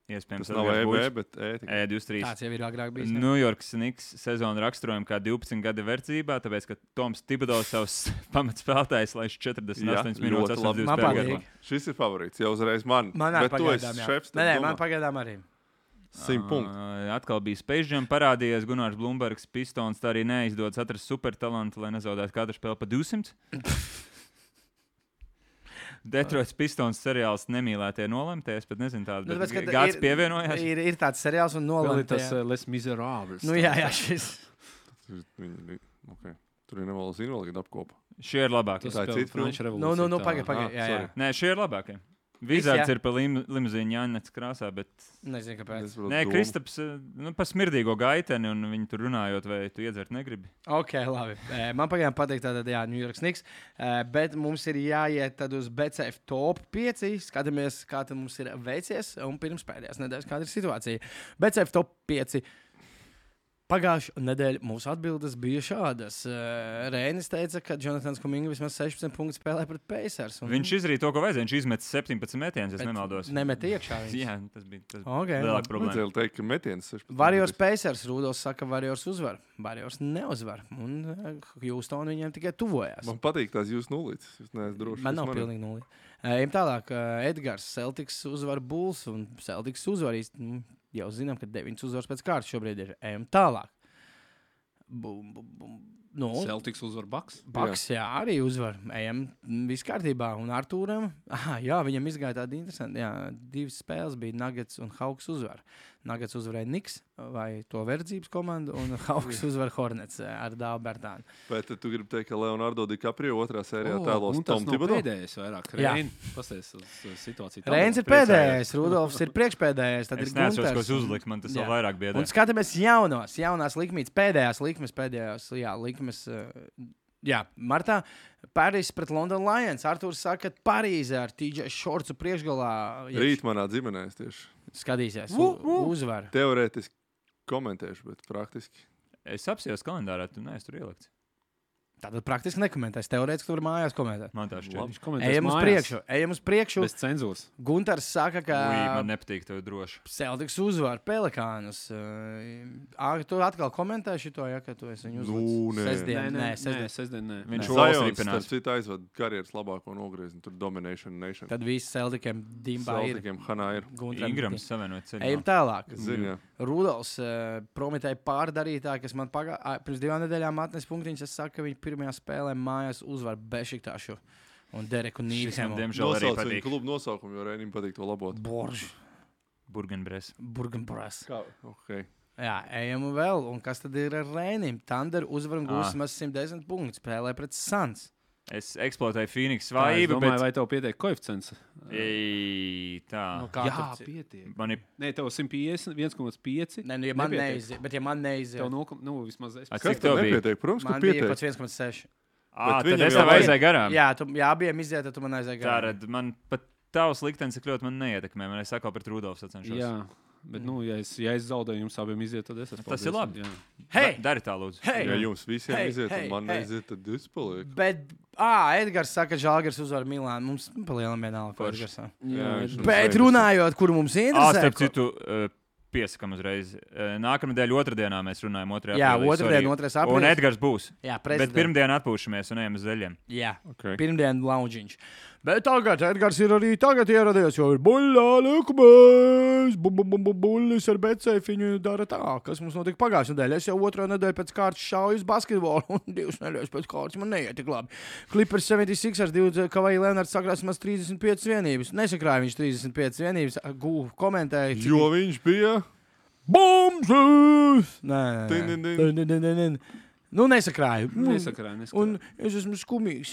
Iespējams, Tas nav EB, bet ētika. E23. Tāds jau ir agrāk bijis. New York Knicks sezonu raksturojumu kā 12 gadu verdzībā, tāpēc, ka Toms Tibodovs savus pamatspēlētājus laiž 48 minūtes. ļoti labi. Man patīk. Šis ir favorīts, jau uzreiz man. Man arī Bet tu esi pagaidām, jā. šefs, tad Nē, domā. man pagaidām arī. 100 punktu. Atkal bija Space Jam parādījies Gunārs Blumbergs, Pistons, tā arī neizdodas atrast supertalantu, lai nezaudētu katru spēli pa 200. Detroits Pistons seriāls nemīlētie nolemties, bet nezinu tādu, bet Gāds pievienojās. Ir tāds seriāls un Vēl ir nolemtie. tas Les Miserables. Nu jā, šis. Tur ir nevēlas invalīdi apkopa. Šie ir labākie. Tas Tā ir spēlē cita filma? Franču revolūciju. Nu, pagaid, jā. sorry. Nē, šie ir labākie. Vizards jā. ir pa limuzīnu Jānets krāsā, bet... Nezinu, kāpēc. Nē, Kristaps, pa smirdīgo gaiteni, un viņi tur runājot, vai tu iedzert negribi. Ok, labi. Man pagaidām patīk tātad, jā, New York Knicks, bet mums ir jāiet tad uz BCF top 5, skatāmies, kā tad mums ir veicies, un pirms pēdējās nedēļas, kāda ir situācija. BCF top 5. Pagājušā nedēļa mūsu atbildes bija šādas. Rēnis teica, ka Jonatans Kuminga vismaz 16 punktus spēlē pret Pacers. Viņš izdarīja to, ko vajadzēja. Viņš izmet 17 metienus, ja nemaldos. Nemet iekšā. Jā, tas bija Okay. lielāka problēma. Vajadzēja teikt, ka metiens 16. Warriors Pacers. Rudolfs saka, Warriors uzvar. Warriors neuzvar. Un Houston viņiem tikai tuvojās. Man patīk tās jūsu nulītes. Jūs neesat droši. Man nav pilnīgi nulli. Ejam tālāk. Edgars Celtics uzvar Bulls un Celtics uzvar īsti. Jau zinām, ka 9 uzvaras pēc kārtas šobrīd ir. Ejam tālāk. Nu, Celtics uzvar Bucks. Bucks, jā, arī uzvar. Ejam viss kārtībā. Un Artūram, jā, viņam izgāja tāda interesanta. Jā, 2 spēles bija Nuggets un Hawks uzvar. Nuggets uzvarēja Knicks vai to verdzības komandu, un Hawks uzvar Hornets ar Dāvu Bertānu. Bet tu gribi teikt, ka Leonardo DiCaprio otrā sērijā tēlos Un tas Tom nav Thibodeau? pēdējais vairāk. Jā. Rein, pasties uz situāciju. Reins ir pēdējais, Rudolfs ir priekšpēdējais. Tad Es ir neatceros, ko Gunters. es uzliku, man tas Jā. vēl vairāk biedē. Un skatāmies jaunās likmes, pēdējās likmes. Jā, martā Parīzes pret London Lions. Artūrs saka, ka Parīzē ar TJ Shortsu priekšgalā Rīt manā ģimenē es tieši skatīsies uzvaru. teorētiski komentēšu, bet praktiski. Es apsījos kalendārā, tu neesi tur ielikts. Tātad praktiski nekomentēs. Teorētiski tur mājās komentēt. Man tā šķiet. Viņš komentēs Ejam uz priekšu. Bez cenzūras. Gunters saka, ka Man nepatīk tev droši. Celtics uzvar Pelikānus. Tu atkal komentēji šo, ja, ka tu esi viņu uzlicis. Sestdien. Nē. Viņš Zajons, ripinās. starp citu, aizved karjeras labāko nogriezienu. Tur Domination Nation. Tad visi Celticiem Dimbā ir. Celticiem Hanā ir. Ingrams savienot ceļā. Ejam tālāk. Ziņā. Rudolfs prometēja pārdarītāju, kas man pirms 2 nedēļām atnes punktiņus. Es saku, ka viņi pirmajā spēlē mājās uzvar Bešiktāšu un Dereku Šis man Nīdhemu. diemžēl arī Nosauc viņu patīk. klubu nosaukumu, jo Reinim patīk to labot. Borž, Burgenbres. Burgenbras. Kā? Okay. Jā, ejam vēl. Un kas tad ir ar Reinim? Thunder uzvar un gūs maz 110 punktus. Spēlē pret Suns. Es eksploatēju Phoenix Es svājību, domāju, bet... vai tev pietiek koeficients? Tā. Nu, kā Jā, tur- pietiek. Man ir... Nē, tev 150, 1,5. Nē, nu, ja man Nepietiek. neiziet, bet ja man neiziet, Tev vismaz es. A, Kas cik tev tev bija? nepietiek? Protams, ka man bija pietiek. kaut 1,6. Bet Tad viņam es jau tev vajag- aizēju garām. Jā, abiem iziet, tad tu man aizēji garām. Tā, man pat tavs liktenis tik ļoti man neietekmē. Man es atkal pret Rudolfu sacenšos. Jā, bet, ja es zaudēju, jums abiem iziet, tad es esmu. Tas ir labi. Jā. Hei! Dari tā, lūdzu. Hei! Ja jums visiem Hei, iziet, hei, un man hei. neiziet, tad jūs paliek. Bet, Edgars saka, ka Žalgiris uzvar Milānu. Mums palielam vienalga, ko Forši. Edgars saka. Jā, viņš Bet mums runājot, kur mums interesē. Starp citu, piesakam uzreiz. Nākamnedēļ otrdienā mēs runājam 2. Jā, aprīlī, otrdien, sorry. 2. aprīlis. Un Edgars būs. Jā, Bet prezidents. pirmdien atpūšamies un ejam uz zeļiem. Jā, Okay. pirmdien loungiņš. Bet tagad Edgars ir arī tagad ieradies, jo ir buļļā likmēs. Buļļis ar becēfiņu dara tā. Kas mums notika pagājušajā nedēļā? Es jau 2. nedēļu pēc kārtas šauju uz basketbolu, un 2 nedēļas pēc kārtas man neiet tik labi. Clippers 76 ar 2 Kavaja Leonards sakrās maz 35 vienības. Nesakrāja viņš 35 vienības. Komentēja. Jo viņš bija. Bombs! Din, din, Nē. Nu, nesakrāju. Nesakrāju. Un es esmu skumīgs.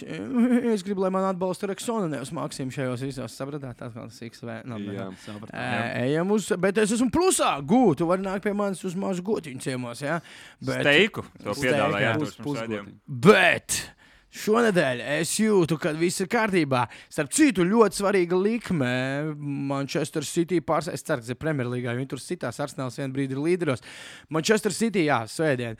Es gribu, lai man atbalsta Reksona, nevis Maksim šajos visos. Sapratāt, tas kā tas XV. Jā. Ejam uz, bet es esmu plusā. Gūt, tu vari nākt pie manis uz mazu gotiņu ciemos, jā? Bet, Steiku. To Steiku, piedāvāja jā. Artūrs mums raidījumā. bet Šonedēļ es jūtu, ka viss ir kārtībā. Starp citu, ļoti svarīga likme. Manchester City pārspēs. Es ceru, ka tas ir Premjerlīgā, jo viņi tur sitās. Arsenāls vienā brīdī ir līderos. Manchester City, jā, svētdien,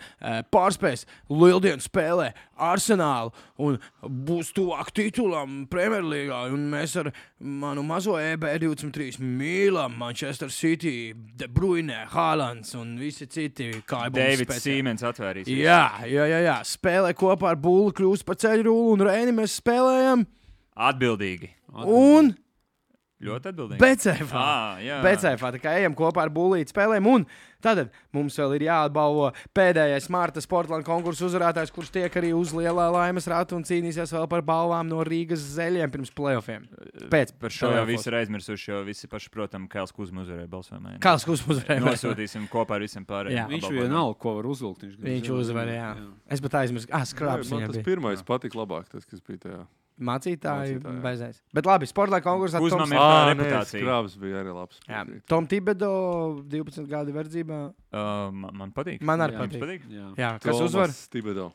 pārspēs Lieldienu spēlē Arsenālu un būs tuvāk titulam Premjerlīgā. Un mēs ar manu mazo EB23 mīlam Manchester City, De Bruyne, Haalands un visi citi. Davids Siemens atvērīs. Jā. Spēlē kopā ar Bullu kļūst par ceļu rullu un Reini mēs spēlējam. Atbildīgi. Un Ļoti atbildīgi. Becēfā. Tā kā ejam kopā ar Bullīti spēlēm. Un tad mums vēl ir jāatbalvo pēdējais Marta Sportland konkursu uzvarētājs, kurš tiek arī uz lielā laimes ratu un cīnīsies vēl par balvām no Rīgas Zeļiem pirms playoffiem. Par šo jau visi ir aizmirsuši, jo visi paši, protams, Kails Kuzma uzvarēja balsojumā. Kails Kuzma uzvarēja. Nosūtīsim kopā ar visiem pārējiem. Viņš vienalga, ko var uzvilkt. Viņš uzvarēja, jā. Es pat aizmirsu. Skrabs man tas pirmais patika labāk, tas, kas bija tajā. Mācītāji bezais. Bet labi, Sportland konkursā Kuzmam ir tā reputācija. Skrabs bija arī labs. Jā, Tom Tibedo 12 gadu verdzībā. Man patīk. Man arī patīk. Jā, kas uzvar? Tibedo.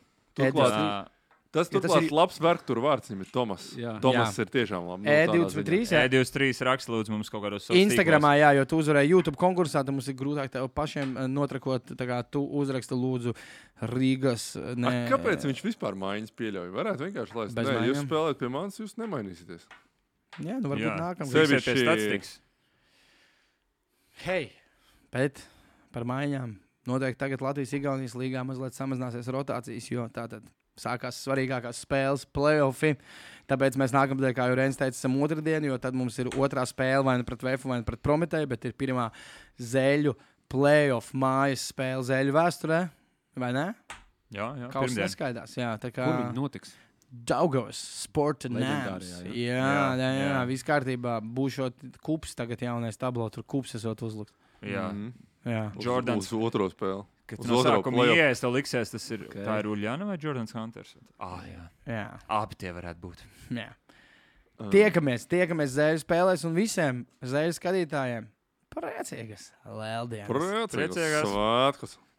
Tas turklāt ir labs vergs, tur vārds viņam ir Tomas. Tomas ir tiešām labs. E23, jā. E23 raksta lūdzu mums kaut kādos sociālos Instagramā, jā, jo tu uzvarēji YouTube konkursā, tad mums ir grūtāk tev pašiem notrakot, tā kā tu uzraksta lūdzu Rīgas. Kāpēc viņš vispār maiņas pieļauj? Varētu vienkārši laist. Nē, jūs spēlēt pie manis, jūs nemainīsieties. Jā, nu varbūt nākamā. Sevišķi statistikas. Hei, bet par maiņām. Noteikti tagad Latvijas-Igaunijas līgā mazliet samazināsies rotācijas, jo tātad sākās svarīgākās spēles, play-offi. Tāpēc mēs nākamdien, kā jau Reinis teica, esam otrdien, jo tad mums ir otrā spēle vai nu pret Vēfu, vai nu pret Prometēju, bet ir pirmā Zeļu play-off mājas spēle Zeļu vēsturē, vai ne? Jā, Kaut kas neskaidās, jā. Tā kā... Kur viņi notiks? Daugavas Sport and Nams. Jā, viss kārtībā. Būšot kups tagad jaunais tablo, tur kups esot uzlikt. Jā. Jordans. Uz otro spēli. Kad no sākuma ies, tev liksies, tas ir, tā ir Uljana vai Jordans Hunters? Jā. Abi tie varētu būt. Jā. Tiekamies Zeļu spēlēs un visiem Zeļu skatītājiem priecīgas Lieldienas. Priecīgas svētkus.